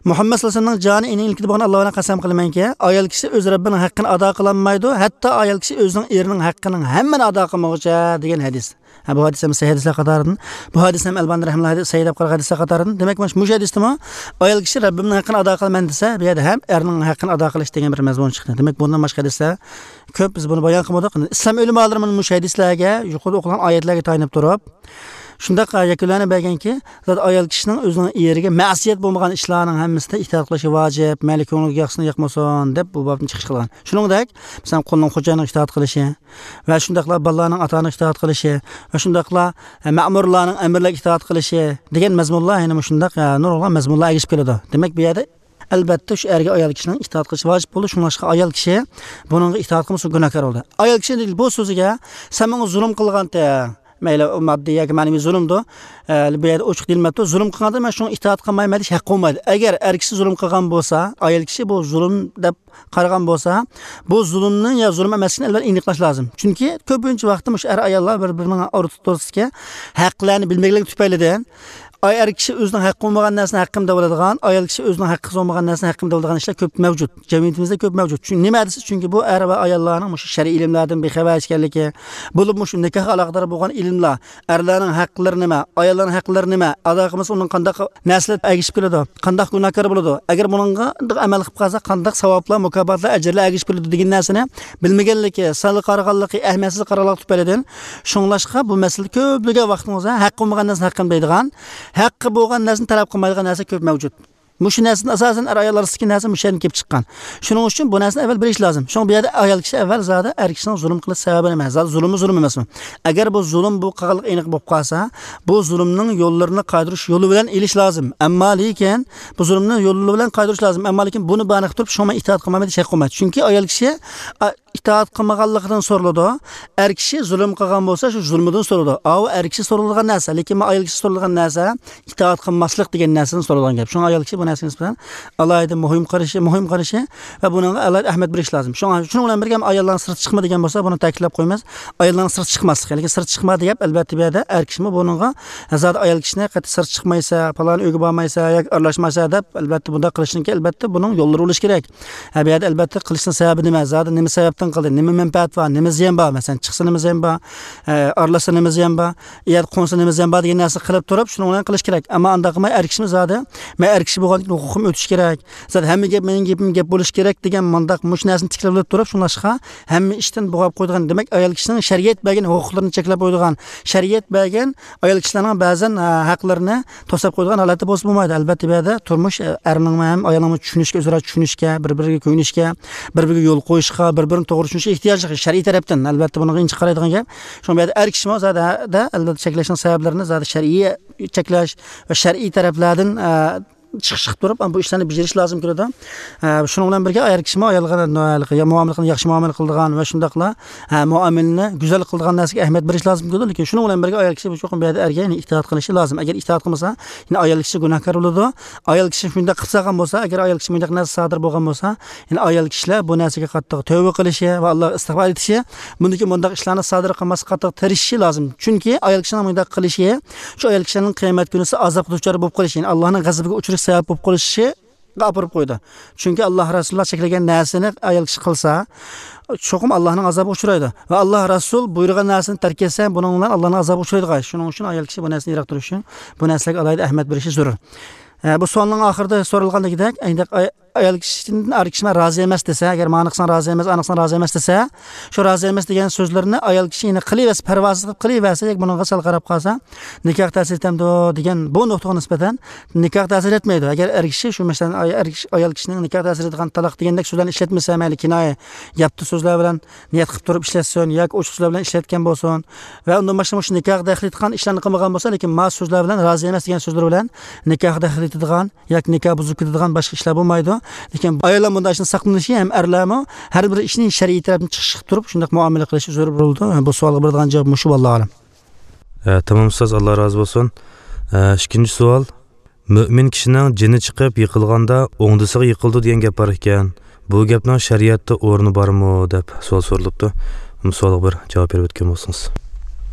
مۇھەممەد سەللەللاھۇ ئەلەيھى ۋەسەللەمنىڭ جانى ئېنىڭ ئىلكىدە بولغان ئاللاھ بىلەن قەسەم قىلىمەنكى، ئايال كىشى ئۆز رەببىنىڭ ھەققىنى ئادا قىلالمايدۇ، ھەتتا ئايال كىشى ئۆزىنىڭ ئېرىنىڭ ھەققىنىڭ ھەممىنى ئادا قىلمىغۇچە، دېگەن ھەدىس. ھە، بۇ ھەدىس ھەم سەھىھ ھەدىسلەر قاتارىدىن. بۇ ھەدىس ھەم ئەلبانى رەھىمەھۇللا ھەدىس سەھىھ دەپ قارىغان ھەدىسلەر قاتارىدىن. دېمەك، مانا مۇشۇ ھەدىستىمۇ ئايال كىشى رەببىمنىڭ ھەققىنى ئادا قىلىمەن دېسە، بۇ يەردە ھەم ئەرنىڭ ھەققىنى ئادا قىلىش دېگەن بىر مەزمۇن چىقتى. دېمەك، بۇندىن باشقا ھەدىسلەر كۆپ، بىز بۇنى بايان قىلمىدۇق. ئىسلام ئۆلىمالىرى مانا مۇشۇ ھەدىسلەرگە، يۇقىرىدا ئوقۇلغان ئايەتلەرگە تايىنىپ تۇرۇپ، شۇنداق يەكۈنلەرنى بەرگەنكى، زادى ئايال كىشىنىڭ ئۆزىنىڭ ئېرىگە مەسىيەت بولمىغان ئىشلارنىڭ ھەممىسىدە ئىتائەت قىلىشى ۋاجىپ، مەيلى كۆڭلىگە ياقسۇن ياقمىسۇن دەپ بۇ بابنى چىقىش قىلغان. شۇنىڭدەك، مەسىلەن، قۇلنىڭ خوجايىنىغا ئىتائەت قىلىشى، ۋە شۇنداقلا بالىلارنىڭ ئاتا ئانىغا ئىتائەت قىلىشى ۋە شۇنداقلا، ئە، مەمۇرلارنىڭ ئەمىرلەرگە ئىتائەت قىلىشى دېگەن مەزمۇنلار يەنە مۇشۇنداق، ئە، نۇرغۇنلىغان مەزمۇنلار ئەگىشىپ كېلىدۇ. دېمەك، بۇ يەردە ئەلبەتتە شۇ ئەرگە ئايال كىشىنىڭ ئىتائەت قىلىشى ۋاجىپ بولىدۇ. شۇڭلاشقا ئايال كىشى بۇنىڭغا ئىتائەت قىلمىسا گۇناھكار بولىدۇ. ئايال كىشى بۇ سۆزىگە، سەن ماڭا زۇلۇم قىلغانتىڭ، مەيلى ئۇ ماددىي ياكى مەنىۋى زۇلۇمدۇر، ئە، بۇ يەردە ئوچۇق دېيىلمەپتۇ، زۇلۇم قىلغانتىڭ، مەن شۇڭا ئىتائەت قىلمايمەن دېيىش ھەققى بولمايدۇ. ئەگەر ئەر كىشى زۇلۇم قىلغان بولسا، ئايال كىشى بۇ زۇلۇم دەپ قارىغان بولسا، بۇ زۇلۇمنى يا زۇلۇم ئەمەسلىكىنى ئەلۋەتتە ئېنىقلاش لازىم. چۈنكى كۆپىنچە ۋاقىتتا مۇشۇ ئەر-ئاياللار بىر-بىرىنىڭ ئوتتۇرىسىدىكى ھەقلەرنى بىلمەيدىغانلىقى تۈپەيلىدىن، ئاي، ئەر كىشى ئۆزىنىڭ ھەققى بولمىغان نەرسىنى ھەققىم دەۋالىدىغان، ئايال كىشى ئۆزىنىڭ ھەققى بولمىغان نەرسىنى ھەققىم دەۋالىدىغان ئىشلار كۆپ مەۋجۇت. جەمئىيىتىمىزدە كۆپ مەۋجۇت. چۈنكى نېمە دېسە، چۈنكى بۇ ئەر ۋە ئاياللارنىڭ مۇشۇ شەرئىي ئىلىملاردىن بىخەۋەر ئىكەنلىكى، بولۇپمۇ شۇ نىكاھقا ئالاقىدار بولغان ئىلىملار، ئەرلەرنىڭ ھەقلىرى نېمە، ئاياللارنىڭ ھەقلىرى نېمە، ئادا قىلمىسا ئۇنىڭ قانداق نەرسىلەر ئەگىشىپ كېلىدۇ، قانداق گۇناھكار بولىدۇ، ئەگەر بۇنىڭغا ئەمەل قىلىپ قالسا قانداق ساۋابلار، مۇكاپاتلار، ئەجىرلەر ئەگىشىپ كېلىدۇ دېگەن نەرسىنى بىلمىگەنلىكى، سەل قارىغانلىقى، ئەھمىيەتسىز قارىغانلىقى تۈپەيلىدىن، شۇڭلاشقا بۇ مەسىلىدە كۆپلىگەن ۋاقتىڭىزدا ھەققى بولمىغان نەرسىنى ھەققىم دەيدىغان، ھەققى بولغان نەرسىنى تەلەپ قىلمايدىغان نەرسە كۆپ مەۋجۇت. مۇشۇ نەرسىدىن ئاساسەن ئەر-ئايال ئارىسىدىكى نەرسە مۇشۇ يەردىن كېلىپ چىققان. شۇنىڭ ئۈچۈن بۇ نەرسىنى ئەۋۋەل بىلىش لازىم. شۇڭا بۇ يەردە ئايال كىشى ئەۋۋەل زادى ئەر كىشىنىڭ زۇلۇم قىلىش سەۋەبى نېمە؟ زادى زۇلۇممۇ زۇلۇم ئەمەسمۇ؟ ئەگەر بۇ زۇلۇم بۇ قىلغانلىقى ئېنىق بولۇپ قالسا، بۇ زۇلۇمنىڭ يوللىرىنى قايتۇرۇش يولى بىلەن ئېلىش لازىم. ئەمما لېكىن بۇ زۇلۇمنى يولى بىلەن قايتۇرۇش لازىم. ئەمما لېكىن بۇنى بانە قىلىپ تۇرۇپ، شۇڭا مەن ئىتائەت قىلمايمەن دېيىش ھەققى بولمايدۇ. چۈنكى ئايال كىشى، ئا، ئىتائەت قىلمىغانلىقىدىن سورىلىدۇ. ئەر كىشى زۇلۇم قىلغان بولسا، شۇ زۇلمىدىن سورىلىدۇ. ئاۋۇ ئەر كىشى سورىلىدىغان نەرسە، لېكىن مانا ئايال كىشى سورىلىدىغان نەرسە ئىتائەت قىلماسلىق دېگەن نەرسىدىن سورىلىدىغان گەپ. شۇڭا ئايال كىشى بۇ نەرسىگە نىسبەتەن ئالاھىدە مۇھىم قارىشى، مۇھىم قارىشى ۋە بۇنىڭغا ئالاھىدە ئەھمىيەت بېرىش لازىم. شۇڭا، شۇنىڭ بىلەن بىرگە ئاياللارنىڭ سىرتقا چىقما دېگەن بولسا، بۇنى تەكىتلەپ قويىمىز. ئاياللارنىڭ سىرتقا چىقماسلىقى، لېكىن سىرتقا چىقما دەپ ئەلۋەتتە بۇ يەردە ئەر كىشىمۇ بۇنىڭغا زادى ئايال كىشىنى قەتئىي سىرتقا چىقمايسەن، پالان ئۆيگە بارمايسەن ياكى ئارىلاشمايسەن دەپ ئەلۋەتتە بۇنداق قىلىشنىڭكى ئەلۋەتتە بۇنىڭ يوللىرى بولۇشى كېرەك. ھە، بۇ يەردە ئەلۋەتتە قىلىشنىڭ سەۋەبى نېمە؟ زادى نېمە سەۋەبتىن قىلدى؟ نېمە مەنپەئەت بار؟ نېمە زىيان بار؟ مەسىلەن، چىقسا نېمە زىيان بار؟ ئە، ئارىلاشسا نېمە زىيان بار؟ يا قونسا نېمە زىيان بار دېگەن نەرسە قىلىپ تۇرۇپ، شۇنىڭ بىلەن قىلىش كېرەك. ئەمما ئانداق قىلماي، ئەر كىشىمۇ زادى، مەن ئەر كىشى بولغاندىكىن ھوقۇقۇم ئۆتۈش كېرەك. زادى ھەممە گەپ مېنىڭ گېپىم گەپ بولۇشى كېرەك دېگەن مانداق مۇشۇ نەرسىنى تىكلەپ تۇرۇپ، شۇڭلاشقا ھەممە ئىشتىن بوغاپ قويىدىغان، دېمەك، ئايال كىشىنىڭ شەرىئەت بەرگەن ھوقۇقلىرىنى چەكلەپ قويىدىغان، شەرىئەت بەرگەن ئايال كىشىلەرنىڭ بەزەن، ئە، ھەقلىرىنى توساپ قويىدىغان ھالەتتە بولسا بولمايدۇ. ئەلۋەتتە، بۇ يەردە تۇرمۇش، ئە، ئەرنىڭمۇ ھەم ئايالنىڭمۇ چۈشىنىشكە، ئۆزئارا چۈشىنىشكە، بىر-بىرىگە كۆيۈنۈشكە، بىر-بىرىگە يول قويۇشقا، بىر-بىرىنى توغرا چۈشىنىشكە ئېھتىياجلىق شەرئىي تەرەپتىن. ئەلۋەتتە، بۇنىڭغا ئىنچىكە قارايدىغان گەپ. شۇڭا بۇ يەردە ئەر كىشىمۇ زادى، ھە، دە، ئەلۋەتتە، چەكلەشنىڭ سەۋەبلىرىنى زادى شەرئىي چەكلەش ۋە شەرئىي تەرەپلەردىن، ئە، چىقىش قىلىپ تۇرۇپ، بۇ ئىشلارنى بېجىرىش لازىم كېلىدۇ. ئە، شۇنىڭ بىلەن بىرگە ئايال كىشىمۇ ئايالغا يا مۇئامىلە قىلغان، ياخشى مۇئامىلە قىلىدىغان ۋە شۇنداقلا، ئە، مۇئامىلىنى گۈزەل قىلىدىغان نەرسىگە ئەھمىيەت بېرىش لازىم كېلىدۇ. لېكىن شۇنىڭ بىلەن بىرگە ئايال كىشى بۇ چوقۇم بۇ يەردە ئەرگە، يەنى ئىتائەت قىلىشى لازىم. ئەگەر ئىتائەت قىلمىسا، يەنى ئايال كىشى گۇناھكار بولىدۇ. ئايال كىشى شۇنداق قىلسا قىلغان بولسا، ئەگەر ئايال كىشى مۇنداق نەرسە سادىر بولغان بولسا، يەنى ئايال كىشىلەر بۇ نەرسىگە قاتتىق تەۋبە قىلىشى ۋە ئاللاغا ئىستىغپار ئېيتىشى، بۇندىكى مۇنداق ئىشلارنى سادىر قىلماسلىققا قاتتىق تىرىشىشى لازىم. چۈنكى ئايال كىشىنىڭ مۇنداق قىلىشى شۇ ئايال كىشىنىڭ قىيامەت كۈنىسى ئازابقا دۇچار بولۇپ قېلىشى، يەنى ئاللاھنىڭ غەزىپىگە ئۇچرىشىش سەۋەب بولۇپ قېلىشىغا ئاپىرىپ قويىدۇ. چۈنكى ئاللاھ رەسۇلۇللاھ چەكلىگەن نەرسىنى ئايال كىشى قىلسا، چوقۇم ئاللاھنىڭ ئازابىغا ئۇچرايدۇ. ۋە ئاللاھ رەسۇل بۇيرۇغان نەرسىنى تەرك ئەتسە، بۇنىڭ بىلەن ئاللاھنىڭ ئازابىغا ئۇچرايدىغان. شۇنىڭ ئۈچۈن ئايال كىشى بۇ نەرسىدىن يىراق تۇرۇشى، بۇ نەرسىلەرگە ئالاھىدە ئەھمىيەت بېرىشى زۆرۈر. ئە، بۇ سوئالنىڭ ئاخىرىدا سورالغاندىكىدەك، ئەينەك ئاي-، ئايال كىشىدىن ئەر كىشى مەن رازى ئەمەس دېسە، ئەگەر مانا قىلساڭ رازى ئەمەس، ئانا قىلساڭ رازى ئەمەس دېسە، شۇ رازى ئەمەس دېگەن سۆزلىرىنى ئايال كىشى يەنە قىلىۋەرسە، پەرۋاسىز قىلىپ قىلىۋەرسە، ياكى بۇنىڭغا سەل قاراپ قالسا، نىكاھ تەسىر ئېتەمدۇ دېگەن بۇ نۇقتىغا نىسبەتەن نىكاھ تەسىر ئەتمەيدۇ. ئەگەر ئەر كىشى شۇ، مەسىلەن، ئاي-، ئەر كىشى، ئايال كىشىنىڭ نىكاھ تەسىر ئېتىدىغان تالاق دېگەندەك سۆزلەرنى ئىشلەتمىسە، مەيلى كىنايە، ياپتۇ سۆزلەر بىلەن نىيەت قىلىپ تۇرۇپ ئىشلەتسۇن ياكى ئوچۇق سۆزلەر بىلەن ئىشلەتكەن بولسۇن ۋە ئۇندىن باشقا مۇشۇ نىكاھقا دەخلى يېتىدىغان ئىشلارنى قىلمىغان بولسا، لېكىن ما سۆزلەر بىلەن، رازى ئەمەس دېگەن سۆزلەر بىلەن نىكاھقا دەخلى يېتىدىغان ياكى نىكاھ بۇزۇپ كېتىدىغان باشقا ئىشلار بولمايدۇ. لېكىن ئاياللار بۇنداق ئىشتىن ساقلىنىشى ھەم ئەرلەرمۇ ھەر بىر ئىشنى شەرئىي تەرەپتىن چىقىش قىلىپ تۇرۇپ، شۇنداق مۇئامىلە قىلىشى زۆرۈر بولىدۇ. بۇ سوئالغا بېرىدىغان جاۋاب مۇشۇ، ۋاللاھۇ ئەلەم. ئە، تامام ئۇستاز، ئاللا رازى بولسۇن. ئە، ئىككىنچى سوئال. مۆمىن كىشىنىڭ جېنى چىقىپ يىقىلغاندا ئوڭدىسىغا يىقىلىدۇ دېگەن گەپ بار ئىكەن. بۇ گەپنىڭ شەرىئەتتە ئورنى بارمۇ دەپ سوئال سورىلىپتۇ. بۇ سوئالغا بىر جاۋاب بېرىپ ئۆتكەن بولسىڭىز.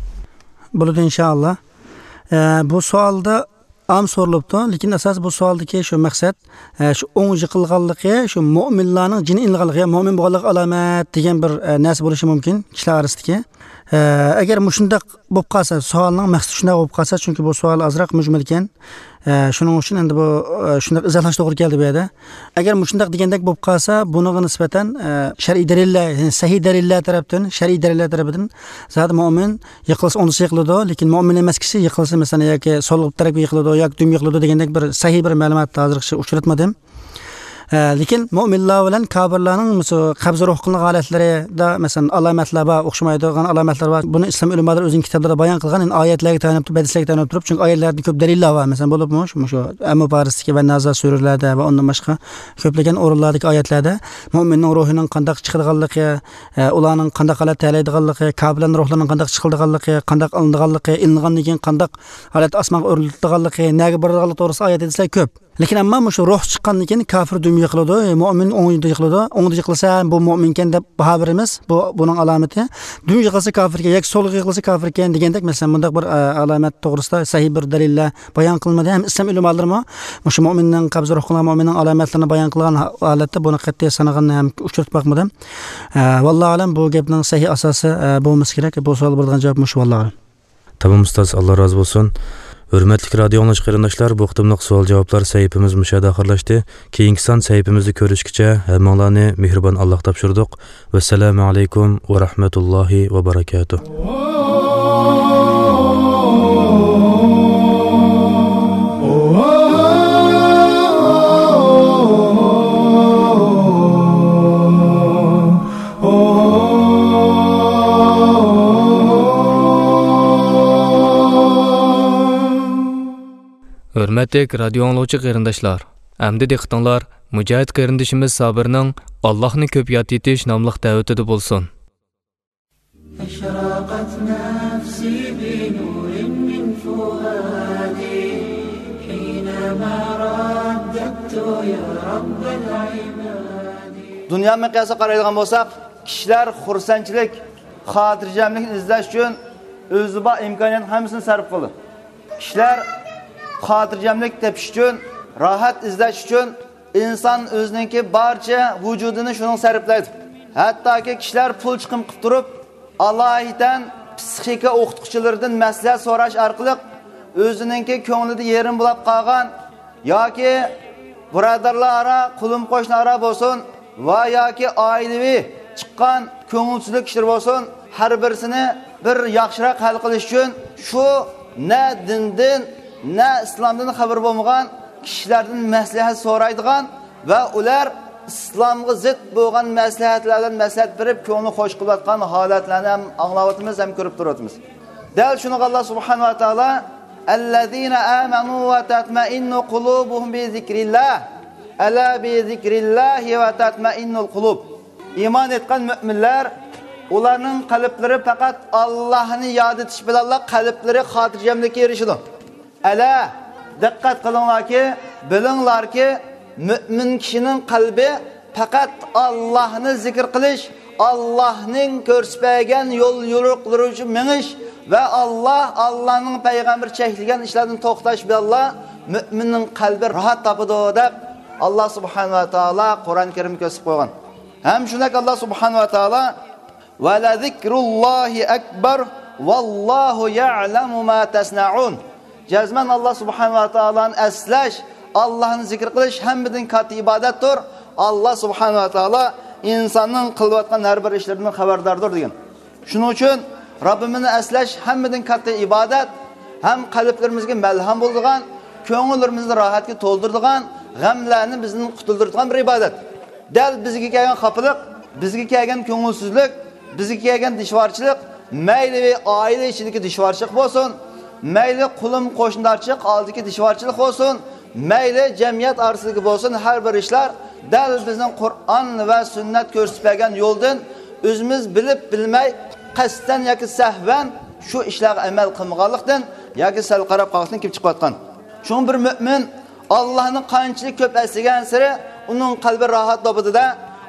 بولىدۇ، ئىنشائاللا. ئە، بۇ سوئالدا ئام سورۇلۇپتۇ، لېكىن ئاساس بۇ سوئالدىكى شۇ مەقسەت، ئە، شۇ ئوڭ يىقىلغانلىقى، شۇ مۆمىنلارنىڭ جېنى ئېلىنغانلىقى، يا مۆمىن بولغانلىقى ئالامەت دېگەن بىر، ئە، نەرسە بولۇشى مۇمكىن كىشىلەر ئارىسىدىكى. ئە، ئەگەر مۇشۇنداق بولۇپ قالسا، سوئالنىڭ مەقسىتى شۇنداق بولۇپ قالسا، چۈنكى بۇ سوئال ئازراق مۈجمەل ئىكەن. ئە، شۇنىڭ ئۈچۈن ئەمدى بۇ، ئە، شۇنداق ئىزاھلاش توغرا كەلدى بۇ يەردە. ئەگەر مۇشۇنداق دېگەندەك بولۇپ قالسا، بۇنىڭغا نىسبەتەن، ئە، شەرئىي دەلىللەر، يەنى سەھىھ دەلىللەر تەرەپتىن، شەرئىي دەلىللەر تەرىپىدىن زادى مۆمىن يىقىلسا ئوڭدىسى يىقىلىدۇ، لېكىن مۆمىن ئەمەس كىشى يىقىلسا، مەسىلەن، ياكى سول تەرەپكە يىقىلىدۇ ياكى دۈم يىقىلىدۇ دېگەندەك بىر سەھىھ بىر مەلۇمات ھازىرغىچە ئۇچراتمىدىم. ئە، لېكىن مۆمىنلار بىلەن كاپىرلارنىڭ مۇشۇ قەبزى روھ قىلىنغان ھالەتلىرىدە، مەسىلەن، ئالامەتلەر بار، ئوخشىمايدىغان ئالامەتلەر بار. بۇنى ئىسلام ئۆلىمالىرى ئۆزىنىڭ كىتابلىرىدا بايان قىلغان، يەنى ئايەتلەرگە تايىنىپ تۇرۇپ، ھەدىسلەرگە تايىنىپ تۇرۇپ، چۈنكى ئايەتلەردە كۆپ دەلىللەر بار. مەسىلەن، بولۇپمۇ مۇشۇ، مۇشۇ ئەممۇ پارىستىكى ۋە نازا سۈرىلەردە ۋە ئۇندىن باشقا كۆپلىگەن ئورۇنلاردىكى ئايەتلەردە مۆمىننىڭ روھىنىڭ قانداق چىقىدىغانلىقى، ئە، ئۇلارنىڭ قانداق ھالەتتە ھەيلەيدىغانلىقى، كاپىرلارنىڭ روھلىرىنىڭ قانداق چىقىدىغانلىقى، قانداق ئېلىنىدىغانلىقى، ئېلىنغاندىن كېيىن قانداق ھالەتتە ئاسمانغا ئۆرلىتىدىغانلىقى، نەگە بارىدىغانلىقى توغرىسىدا ئايەت ھەدىسلەر كۆپ. لېكىن ئەمما مۇشۇ روھ چىققاندىن كېيىن كاپىر دۈم يىقىلىدۇ، مۆمىن ئوڭدا يىقىلىدۇ. ئوڭدا يىقىلسا، بۇ مۆمىنكەن دەپ باھا بېرىمىز. بۇ، بۇنىڭ ئالامىتى. دۈم يىقىلسا كاپىركەن ياكى سولغا يىقىلسا كاپىركەن دېگەندەك، مەسىلەن، بۇنداق بىر، ئە، ئالامەت توغرىسىدا سەھىھ بىر دەلىللەر بايان قىلمىدى. ھەم ئىسلام ئۆلىمالىرىمۇ مۇشۇ مۆمىننىڭ قەبزى روھ قىلغان مۆمىننىڭ ئالامەتلىرىنى بايان قىلغان ھا-، ھالەتتە بۇنى قەتئىي سانىغان ھەم ئۇچرىتىپ باقمىدىم. ئە، ۋاللاھۇ ئەلەم، بۇ گەپنىڭ سەھىھ ئاساسى، ئە، بولمىسا كېرەك. بۇ سوئالغا بېرىدىغان جاۋاب مۇشۇ، ۋاللاھۇ ئەلەم. تامام ئۇستاز، ئاللا رازى بولسۇن. ھۆرمەتلىك رادىيو ئاڭلىغۇچى قېرىنداشلار، بۇ قېتىملىق سوئال جاۋابلار سەھىپىمىز مۇشۇ يەردە ئاخىرلاشتى. كېيىنكى سان سەھىپىمىزدە كۆرۈشكىچە ھەممىڭلارنى مېھرىبان ئاللاغا تاپشۇردۇق. ۋەسسالامۇ ئەلەيكۇم ۋە رەھمەتۇللاھى ۋە بەرەكاتۇھ. ھۆرمەتلىك رادىيو ئاڭلىغۇچى قېرىنداشلار، ئەمدى دىققىتىڭلار مۇجاھىد قېرىندىشىمىز سابىرنىڭ «ئاللاھنى كۆپ ياد ئېتىش» ناملىق دەۋىتىدە بولسۇن. أشرقت نفسي بنور من فؤادي حينما رددت يا رب العباد. دۇنيا مىقياسىغا قارايدىغان بولساق، كىشىلەر خۇرسەنچىلىك، خاتىرجەملىكنى ئىزدەش ئۈچۈن ئۆزىدە بار ئىمكانىيەتنىڭ ھەممىسىنى سەرپ قىلىدۇ. كىشىلەر خاتىرجەملىك تېپىش ئۈچۈن، راھەت ئىزدەش ئۈچۈن ئىنسان ئۆزىنىڭكى بارچە ۋۇجۇدىنى شۇنىڭغا سەرپلەيدۇ. ھەتتاكى كىشىلەر پۇل چىقىم قىلىپ تۇرۇپ، ئالاھىدە پسىخىكا ئوقۇتقۇچىلىرىدىن مەسلىھەت سوراش ئارقىلىق ئۆزىنىڭكى كۆڭلىدە يېرىم بولاپ قالغان ياكى بۇرادەرلەر ئارا، قولۇم قوشنا ئارا بولسۇن ۋە ياكى ئائىلىۋى چىققان كۆڭۈلسىزلىك ئىشلىرى بولسۇن، ھەر بىرسىنى بىر ياخشىراق ھەل قىلىش ئۈچۈن شۇ نە دىندىن، نە ئىسلامدىن خەۋىرى بولمىغان كىشىلەردىن مەسلىھەت سورايدىغان ۋە ئۇلار ئىسلامغا زىت بولغان مەسلىھەتلەردىن مەسلىھەت بېرىپ، كۆڭلىنى خوش قىلىۋاتقان ھالەتلەرنى ھەم ئاڭلاۋاتىمىز، ھەم كۆرۈپ تۇرۇۋاتىمىز. دەل شۇنىڭغا ئاللا سۇبھانەھۇ ۋە تائالا الذين آمنوا وتطمئن قلوبهم بذكر الله ألا بذكر الله تطمئن القلوب. ئىمان ئېيتقان مۆمىنلەر، ئۇلارنىڭ قەلبلىرى پەقەت ئاللاھنى ياد ئېتىش بىلەنلا قەلبلىرى خاتىرجەملىككە ئېرىشىدۇ. ئەلا، دىققەت قىلىڭلاركى، بىلىڭلاركى، مۆمىن كىشىنىڭ قەلبى پەقەت ئاللاھنى زىكىر قىلىش، ئاللاھنىڭ كۆرسىتىپ بەرگەن يول يورۇقلىرى ئۈچۈن مېڭىش ۋە ئاللاھ، ئاللاھنىڭ پەيغەمبىرى چەكلىگەن ئىشلاردىن توختاش بىلەنلا مۆمىننىڭ قەلبى راھەت تاپىدۇ، دەپ ئاللاھ سۇبھانەھۇ ۋە تائالا قۇرئان كەرىمدە كۆرسىتىپ قويغان. ھەم شۇنداق ئاللاھ سۇبھانەھۇ ۋە تائالا، ولذكر الله أكبر والله يعلم ما تصنعون. جەزمەن ئاللاھ سۇبھانەھۇ ۋە تائالانى ئەسلەش، ئاللاھنى زىكىر قىلىش ھەممىدىن كاتتا ئىبادەتتۇر. ئاللاھ سۇبھانەھۇ ۋە تائالا ئىنساننىڭ قىلىۋاتقان ھەر بىر ئىشلىرىدىن خەۋەرداردۇر، دېگەن. شۇنىڭ ئۈچۈن رەببىمىزنى ئەسلەش ھەممىدىن كاتتا ئىبادەت، ھەم قەلبلىرىمىزگە مەلھەم بولىدىغان، كۆڭۈللىرىمىزنى راھەتكە تولدۇرىدىغان، غەملەرنى بىزدىن قۇتۇلدۇرىدىغان بىر ئىبادەت. دەل بىزگە كەلگەن خاپىلىق، بىزگە كەلگەن كۆڭۈلسىزلىك، بىزگە كەلگەن دىشۋارچىلىق، مەيلى ئائىلە ئىچىدىكى دىشۋارچىلىق بولسۇن، مەيلى قولۇم قوشنىدارچىلىق ئالدىدىكى دىشۋارچىلىق بولسۇن، مەيلى جەمئىيەت ئارىسىدىكى بولسۇن، ھەر بىر ئىشلار دەل بىزنىڭ قۇرئان ۋە سۈننەت كۆرسىتىپ بەرگەن يولدىن ئۆزىمىز بىلىپ بىلمەي، قەستەن ياكى سەھۋەن شۇ ئىشلارغا ئەمەل قىلمىغانلىقتىن ياكى سەل قاراپ قالغاندىن كېلىپ چىقىۋاتقان. شۇڭا بىر مۆمىن ئاللاھنى قانچىلىك كۆپ ئەسلىگەنسېرى ئۇنىڭ قەلبى راھەت تاپىدۇ-دە،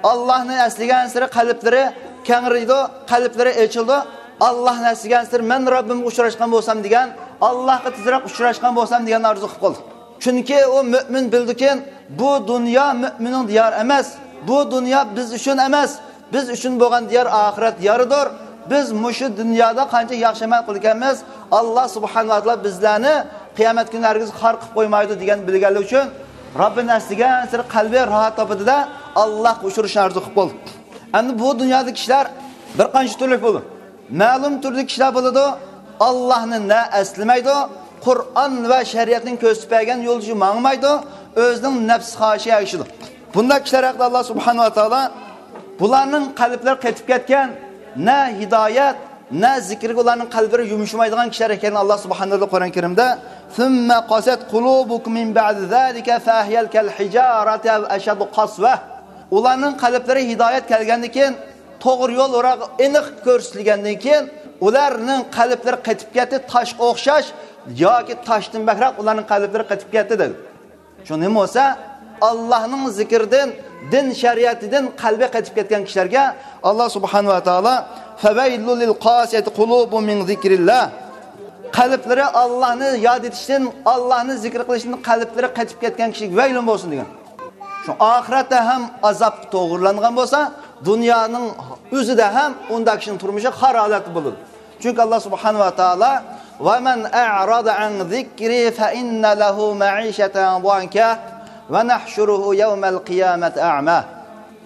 ئاللاھنى ئەسلىگەنسېرى قەلبلىرى كەڭرىيدۇ، قەلبلىرى ئېچىلىدۇ. ئاللاھنى ئەسلىگەنسېرى مەن رەببىمگە ئۇچراشقان بولسام دېگەن، ئاللاھقا تېزرەك ئۇچراشقان بولسام دېگەن ئارزۇ قىلىپ قالىدۇ. چۈنكى ئۇ مۆمىن بىلىدۇكى، بۇ دۇنيا مۆمىننىڭ دىيارى ئەمەس، بۇ دۇنيا بىز ئۈچۈن ئەمەس، بىز ئۈچۈن بولغان دىيار ئاخىرەت دىيارىدۇر. بىز مۇشۇ دۇنيادا قانچە ياخشى ئەمەل قىلىدىكەنمىز، ئاللاھ سۇبھانەھۇ ۋە تائالا بىزلەرنى قىيامەت كۈنى ھەرگىز خار قىلىپ قويمايدۇ دېگەن بىلگەنلىكى ئۈچۈن رەببىنى ئەسلىگەنسېرى قەلبى راھەت تاپىدۇ-دە، ئاللاھقا ئۇچرىشىشنى ئارزۇ قىلىپ بولدى. ئەمدى بۇ دۇنيادا كىشىلەر بىر قانچە تۈرلۈك بولىدۇ. مەلۇم تۈردىكى كىشىلەر بولىدۇ، ئاللاھنى نە ئەسلىمەيدۇ، قۇرئان ۋە شەرىئەتنىڭ كۆرسىتىپ بەرگەن يولىدا ماڭمايدۇ، ئۆزىنىڭ نەپس خاھىشىگە ئەگىشىدۇ. بۇنداق كىشىلەر ھەققىدە ئاللاھ سۇبھانەھۇ ۋە تائالا بۇلارنىڭ قەلبلىرى قېتىپ كەتكەن، نە ھىدايەت، نە زىكىرگە ئۇلارنىڭ قەلبلىرى يۇمشىمايدىغان كىشىلەر ئىكەنلىكىنى ئاللاھ سۇبھانەھۇ ۋە تائالا قۇرئان كەرىمدە، ثم قست قلوبكم من بعد ذلك فهي كالحجارة أو أشد قسوة. ئۇلارنىڭ قەلبلىرى ھىدايەت كەلگەندىن كېيىن، توغرا يول ئوراق ئېنىق كۆرسىتىلگەندىن كېيىن، ئۇلارنىڭ قەلبلىرى قېتىپ كەتتى، تاشقا ئوخشاش ياكى تاشتىن بەكرەك ئۇلارنىڭ قەلبلىرى قېتىپ كەتتى، دەيدۇ. شۇ نېمە بولسا، ئاللاھنىڭ زىكرىدىن، دىن شەرىئىتىدىن قەلبى قېتىپ كەتكەن كىشىلەرگە ئاللاھ سۇبھانەھۇ ۋە تائالا، فويل للقاسية قلوبهم من ذكر الله. قەلبلىرى ئاللاھنى ياد ئېتىشتىن، ئاللاھنى زىكىر قىلىشتىن قەلبلىرى قېتىپ كەتكەن كىشىگە ۋەيلۇن بولسۇن، دېگەن. شۇ ئاخىرەتتە ھەم ئازابقا توغرىلانغان بولسا، دۇنيانىڭ ئۆزىدە ھەم ئۇنداق كىشىنىڭ تۇرمۇشى خار ھالەتتە بولىدۇ. چۈنكى ئاللاھ سۇبھانەھۇ ۋە تائالا، ومن أعرض عن ذكري فإن له معيشة ضنكا ونحشره يوم القيامة أعمى.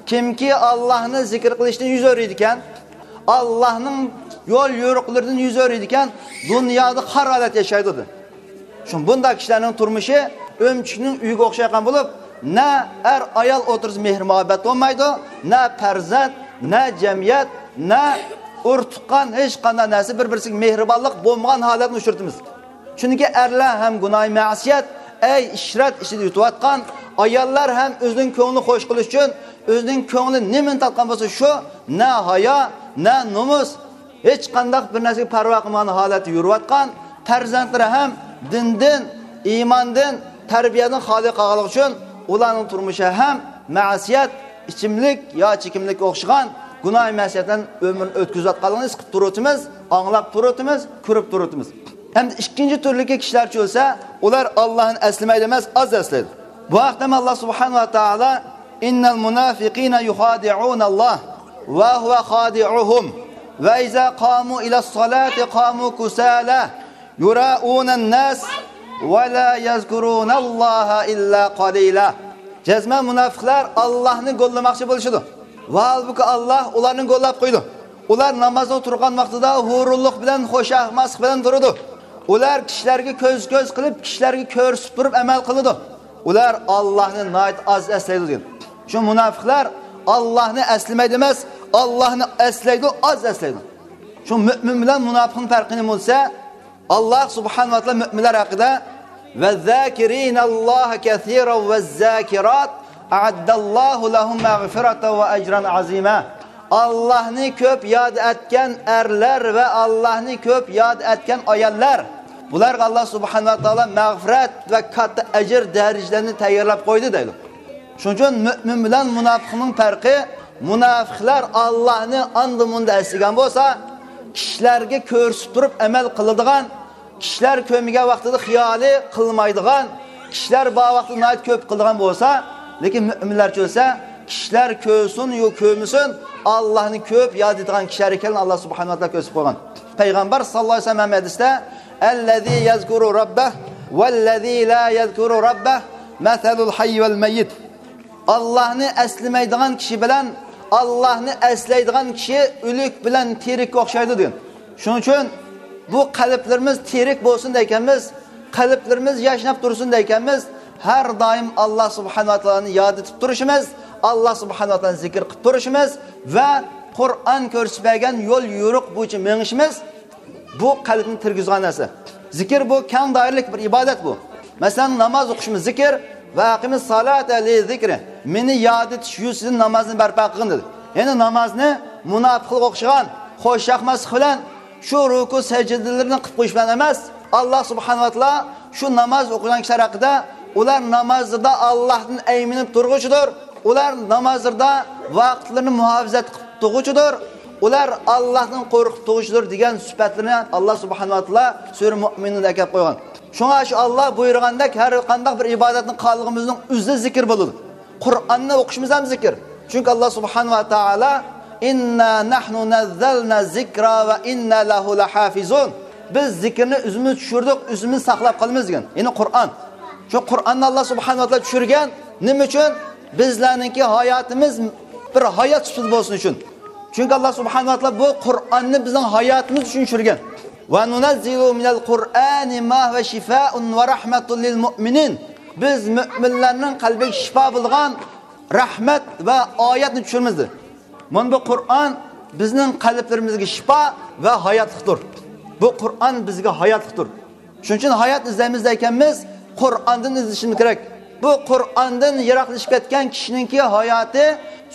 كىمكى ئاللاھنى زىكىر قىلىشتىن يۈز ئۆرۈيدىكەن، ئاللاھنىڭ يول يورۇقلىرىدىن يۈز ئۆرۈيدىكەن، دۇنيادا خار ھالەتتە ياشايدۇ، دېدى. شۇ بۇنداق كىشىلەرنىڭ تۇرمۇشى ئۆمۈچۈكنىڭ ئۆيىگە ئوخشايدىغان بولۇپ، نە ئەر-ئايال ئوتتۇرىسىدا مېھىر-مۇھەببەت بولمايدۇ، نە پەرزەنت، نە جەمئىيەت، نە ئۇرۇق-تۇغقان، ھېچقانداق نەرسە بىر-بىرسىگە مېھرىبانلىق بولمىغان ھالەتنى ئۇچرىتىمىز. چۈنكى ئەرلەر ھەم گۇناھى مەسىيەت، ئەي ئىشرەت ئىچىدە يۈتۈۋاتقان، ئاياللار ھەم ئۆزىنىڭ كۆڭلىنى خۇش قىلىش ئۈچۈن ئۆزىنىڭ كۆڭلى نېمىنى تارتقان بولسا شۇ، نە ھايا، نە نومۇس، ھېچقانداق بىر نەرسىگە پەرۋا قىلمىغان ھالەتتە يۈرۈۋاتقان، پەرزەنتلىرى ھەم دىندىن، ئىماندىن، تەربىيەدىن خالىي قالغانلىقى ئۈچۈن ئۇلارنىڭ تۇرمۇشى ھەم مەسىيەت، ئىچىملىك يا چېكىملىككە ئوخشىغان گۇناھى مەسىيەت بىلەن ئۆمرىنى ئۆتكۈزۈۋاتقانلىقىنى ھېس قىلىپ تۇرۇۋاتىمىز، ئاڭلاپ تۇرۇۋاتىمىز، كۆرۈپ تۇرۇۋاتىمىز. ئەمدى ئىككىنچى تۈرلۈكى كىشىلەرچە بولسا، ئۇلار ئاللاھنى ئەسلىمەيدۇ ئەمەس، ئاز ئەسلەيدۇ. بۇ ھەقتە ئاللاھ سۇبھانەھۇ ۋە تائالا، إن المنافقين يخادعون الله وهو خادعهم وإذا قاموا إلى الصلاة قاموا كسالى يراءون الناس ولا يذكرون الله إلا قليلا. جەزمەن مۇناپىقلار ئاللاھنى گوللىماقچى بولۇشىدۇ. ۋاھالبۇكى، ئاللاھ ئۇلارنى گوللاپ قويىدۇ. ئۇلار نامازغا تۇرغان ۋاقتىدا ھۇرۇنلۇق بىلەن، خۇشامەتلىك بىلەن تۇرىدۇ. ئۇلار كىشىلەرگە كۆز-كۆز قىلىپ، كىشىلەرگە كۆرسىتىپ تۇرۇپ ئەمەل قىلىدۇ. ئۇلار ئاللاھنى ناھايىتى ئاز ئەسلەيدۇ، دېگەن. شۇ مۇناپىقلار ئاللاھنى ئەسلىمەيدۇ ئەمەس، ئاللاھنى ئەسلەيدۇ، ئاز ئەسلەيدۇ. شۇ مۆمىن بىلەن مۇناپىقنىڭ پەرقى نېمە بولسا، ئاللاھ سۇبھانەھۇ ۋە تائالا مۆمىنلەر ھەققىدە، «ۋەززاكىرىنەللاھە كەسىرەن ۋەززاكىرات ئەئەددەللاھۇ لەھۇم مەغفىرەتەن ۋە ئەجرەن ئەزىمە.» ئاللاھنى كۆپ ياد ئەتكەن ئەرلەر ۋە ئاللاھنى كۆپ ياد ئەتكەن ئاياللار، بۇلارغا ئاللاھ سۇبھانەھۇ ۋە تائالا مەغپىرەت ۋە كاتتا ئەجىر دەرىجىلەرنى تەييارلاپ قويدى دەيدۇ. شۇنىڭ ئۈچۈن مۆمىن بىلەن مۇناپىقنىڭ پەرقى، مۇناپىقلار ئاللاھنى ئاندا-مۇندا ئەسلىگەن بولسا، كىشىلەرگە كۆرسىتىپ تۇرۇپ ئەمەل قىلىدىغان، كىشىلەر كۆرمىگەن ۋاقتىدا خىيالى قىلمايدىغان، كىشىلەر بار ۋاقتىدا ناھايىتى كۆپ قىلىدىغان بولسا، لېكىن مۆمىنلەرچە بولسا، كىشىلەر كۆرسۇن يا كۆرمىسۇن، ئاللاھنى كۆپ ياد ئېتىدىغان كىشىلەر ئىكەنلىكىنى ئاللاھ سۇبھانەھۇ ۋە تائالا كۆرسىتىپ قويغان. پەيغەمبەر ساللاللاھۇ ئەلەيھى ۋەسەللەم ھەدىستە، «ئەللەزى يەزكۇرۇ رەببەھ ۋەللەزى لا يەزكۇرۇ رەببەھ مەسەلۇل ھەيي ۋەل مەييىت.» ئاللاھنى ئەسلىمەيدىغان كىشى بىلەن ئاللاھنى ئەسلەيدىغان كىشى ئۆلۈك بىلەن تىرىككە ئوخشايدۇ دېگەن. شۇنىڭ ئۈچۈن بۇ قەلبلىرىمىز تىرىك بولسۇن دەيكەنمىز، قەلبلىرىمىز ياشناپ تۇرسۇن دەيكەنمىز، ھەر دائىم ئاللاھ سۇبھانەھۇ ۋە تائالانى ياد ئېتىپ تۇرۇشىمىز، ئاللاھ سۇبھانەھۇ ۋە تائالانى زىكىر قىلىپ تۇرۇشىمىز ۋە قۇرئان كۆرسىتىپ بەرگەن يول يورۇق بويىچە مېڭىشىمىز، بۇ قەلبنى تىرگۈزىدىغان نەرسە. زىكىر بۇ كەڭ دائىرىلىك بىر ئىبادەت بۇ. مەسىلەن، ناماز ئوقۇشىمىز زىكىر، «ۋە ئەقىمىس سالاتا لىزىكرى»، مېنى ياد ئېتىش يۈزىسىدىن نامازنى بەرپا قىلغىن دېدى. يەنى نامازنى مۇناپىقلارغا ئوخشىغان، خۇش ياقماسلىق بىلەن شۇ رۇكۇ سەجدىلىرىنى قىلىپ قويۇش بىلەن ئەمەس، ئاللاھ سۇبھانەھۇ ۋە تائالا شۇ ناماز ئوقۇيدىغان كىشىلەر ھەققىدە، ئۇلار نامازلىرىدا ئاللاھتىن ئەيمىنىپ تۇرغۇچىدۇر، ئۇلار نامازلىرىدا ۋاقىتلىرىنى مۇھاپىزەت قىلىپ تۇرغۇچىدۇر، ئۇلار ئاللاھتىن قورقۇپ تۇرغۇچىدۇر دېگەن سۈپەتلىرىنى ئاللاھ سۇبھانەھۇ ۋە تائالا سۈرە مۇئمىنۇندا ئەكەپ قويغان. شۇڭا شۇ ئاللاھ بۇيرۇغاندەك ھەر قانداق بىر ئىبادەتنى قىلغىنىمىزنىڭ ئۆزى زىكىر بولىدۇ. قۇرئاننى ئوقۇشىمىز ھەم زىكىر. چۈنكى ئاللاھ سۇبھانەھۇ ۋە تائالا، «ئىننا نەھنۇ نەززەلنە زىكرا ۋە ئىننا لەھۇ لەھافىزۇن.» بىز زىكىرنى ئۆزىمىز چۈشۈردۇق، ئۆزىمىز ساقلاپ قالىمىز دېگەن. يەنى قۇرئان. شۇ قۇرئاننى ئاللاھ سۇبھانەھۇ ۋە تائالا چۈشۈرگەن. نېمە ئۈچۈن؟ بىزلەرنىڭكى ھاياتىمىز بىر ھايات سۈپىتىدە بولسۇن ئۈچۈن. چۈنكى ئاللاھ سۇبھانەھۇ ۋە تائالا بۇ قۇرئاننى بىزنىڭ ھاياتىمىز ئۈچۈن چۈشۈرگەن. «ۋە نۇنەززىلۇ مىنەل قۇرئانى ما ھۇۋە شىفائۇن ۋە رەھمەتۇن لىل مۇئمىنىن.» بىز مۆمىنلەرنىڭ قەلبىگە شىپا بولغان رەھمەت ۋە ئايەتنى چۈشۈرىمىز دېدى. مانا بۇ قۇرئان بىزنىڭ قەلبلىرىمىزگە شىپا ۋە ھاياتلىقتۇر. بۇ قۇرئان بىزگە ھاياتلىقتۇر. شۇنىڭ ئۈچۈن ھايات ئىزدەيمىز دەيكەنمىز، قۇرئاندىن ئىزدىشىمىز كېرەك. بۇ قۇرئاندىن يىراقلىشىپ كەتكەن كىشىنىڭكى ھاياتى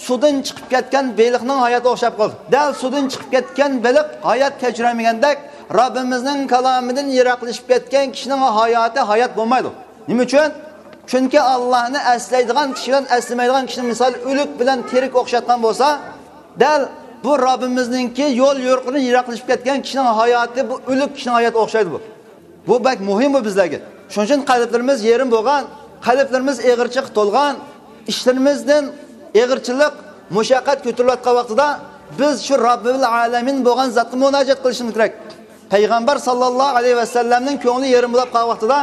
سۇدىن چىقىپ كەتكەن بېلىقنىڭ ھاياتىغا ئوخشاپ قالدى. دەل سۇدىن چىقىپ كەتكەن بېلىق ھايات كەچۈرەلمىگەندەك، رەببىمىزنىڭ كالامىدىن يىراقلىشىپ كەتكەن كىشىنىڭ ھاياتى ھايات بولمايدۇ. نېمە ئۈچۈن؟ چۈنكى ئاللاھنى ئەسلەيدىغان كىشى بىلەن ئەسلىمەيدىغان كىشىنىڭ مىسالى ئۆلۈك بىلەن تىرىك ئوخشاتقان بولسا، دەل بۇ رەببىمىزنىڭكى يول يورۇقىدىن يىراقلىشىپ كەتكەن كىشىنىڭ ھاياتى بۇ ئۆلۈك كىشىنىڭ ھاياتىغا ئوخشايدۇ بۇ. بۇ بەك مۇھىم بۇ بىزلەرگە. شۇنىڭ ئۈچۈن قەلبلىرىمىز يېرىم بولغان، قەلبلىرىمىز ئېغىرچىلىققا تولغان، ئىشلىرىمىزدىن ئېغىرچىلىق، مۇشەققەت كۆتۈرۈلۈۋاتقان ۋاقتىدا بىز شۇ رەببىل ئالەمىن بولغان زاتقا مۇناجات قىلىشىمىز كېرەك. پەيغەمبەر ساللاللاھۇ ئەلەيھى ۋەسەللەمنىڭ كۆڭلى يېرىم بولاپ قالغان ۋاقتىدا،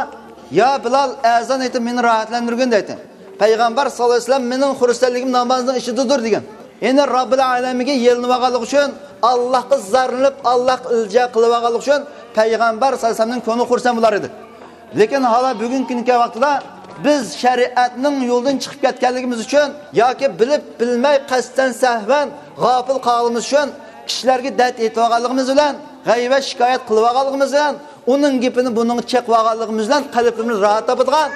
يا بىلال، ئەزان ئېيتىپ مېنى راھەتلەندۈرگىن دەيتتى. پەيغەمبەر ساللاللاھۇ ئەلەيھى ۋەسەللەم، مېنىڭ خۇرسەنلىكىم نامازنىڭ ئىچىدىدۇر دېگەن. يەنى رەببىل ئالەمىنگە يېلىنىۋالغانلىقى ئۈچۈن، ئاللاھقا زارلىنىپ، ئاللاھقا ئىلتىجا قىلىۋالغانلىقى ئۈچۈن پەيغەمبەر ساللاللاھۇ ئەلەيھى ۋەسەللەمنىڭ كۆڭلى خۇرسەن بولار ئىدى. لېكىن ھالا بۈگۈنكى كۈنگە ۋاقتىدا بىز شەرىئەتنىڭ يولىدىن چىقىپ كەتكەنلىكىمىز ئۈچۈن ياكى بىلىپ بىلمەي قەستەن سەھۋەن غاپىل قالغىنىمىز ئۈچۈن كىشىلەرگە دەرد ئېيتىۋالغانلىقىمىز بىلەن، غەيۋەت شىكايەت قىلىۋالغانلىقىمىز بىلەن، ئۇنىڭ گېپىنى بۇنىڭغا چېقىۋالغانلىقىمىز بىلەن قەلبىمىز راھەت تاپىدىغان،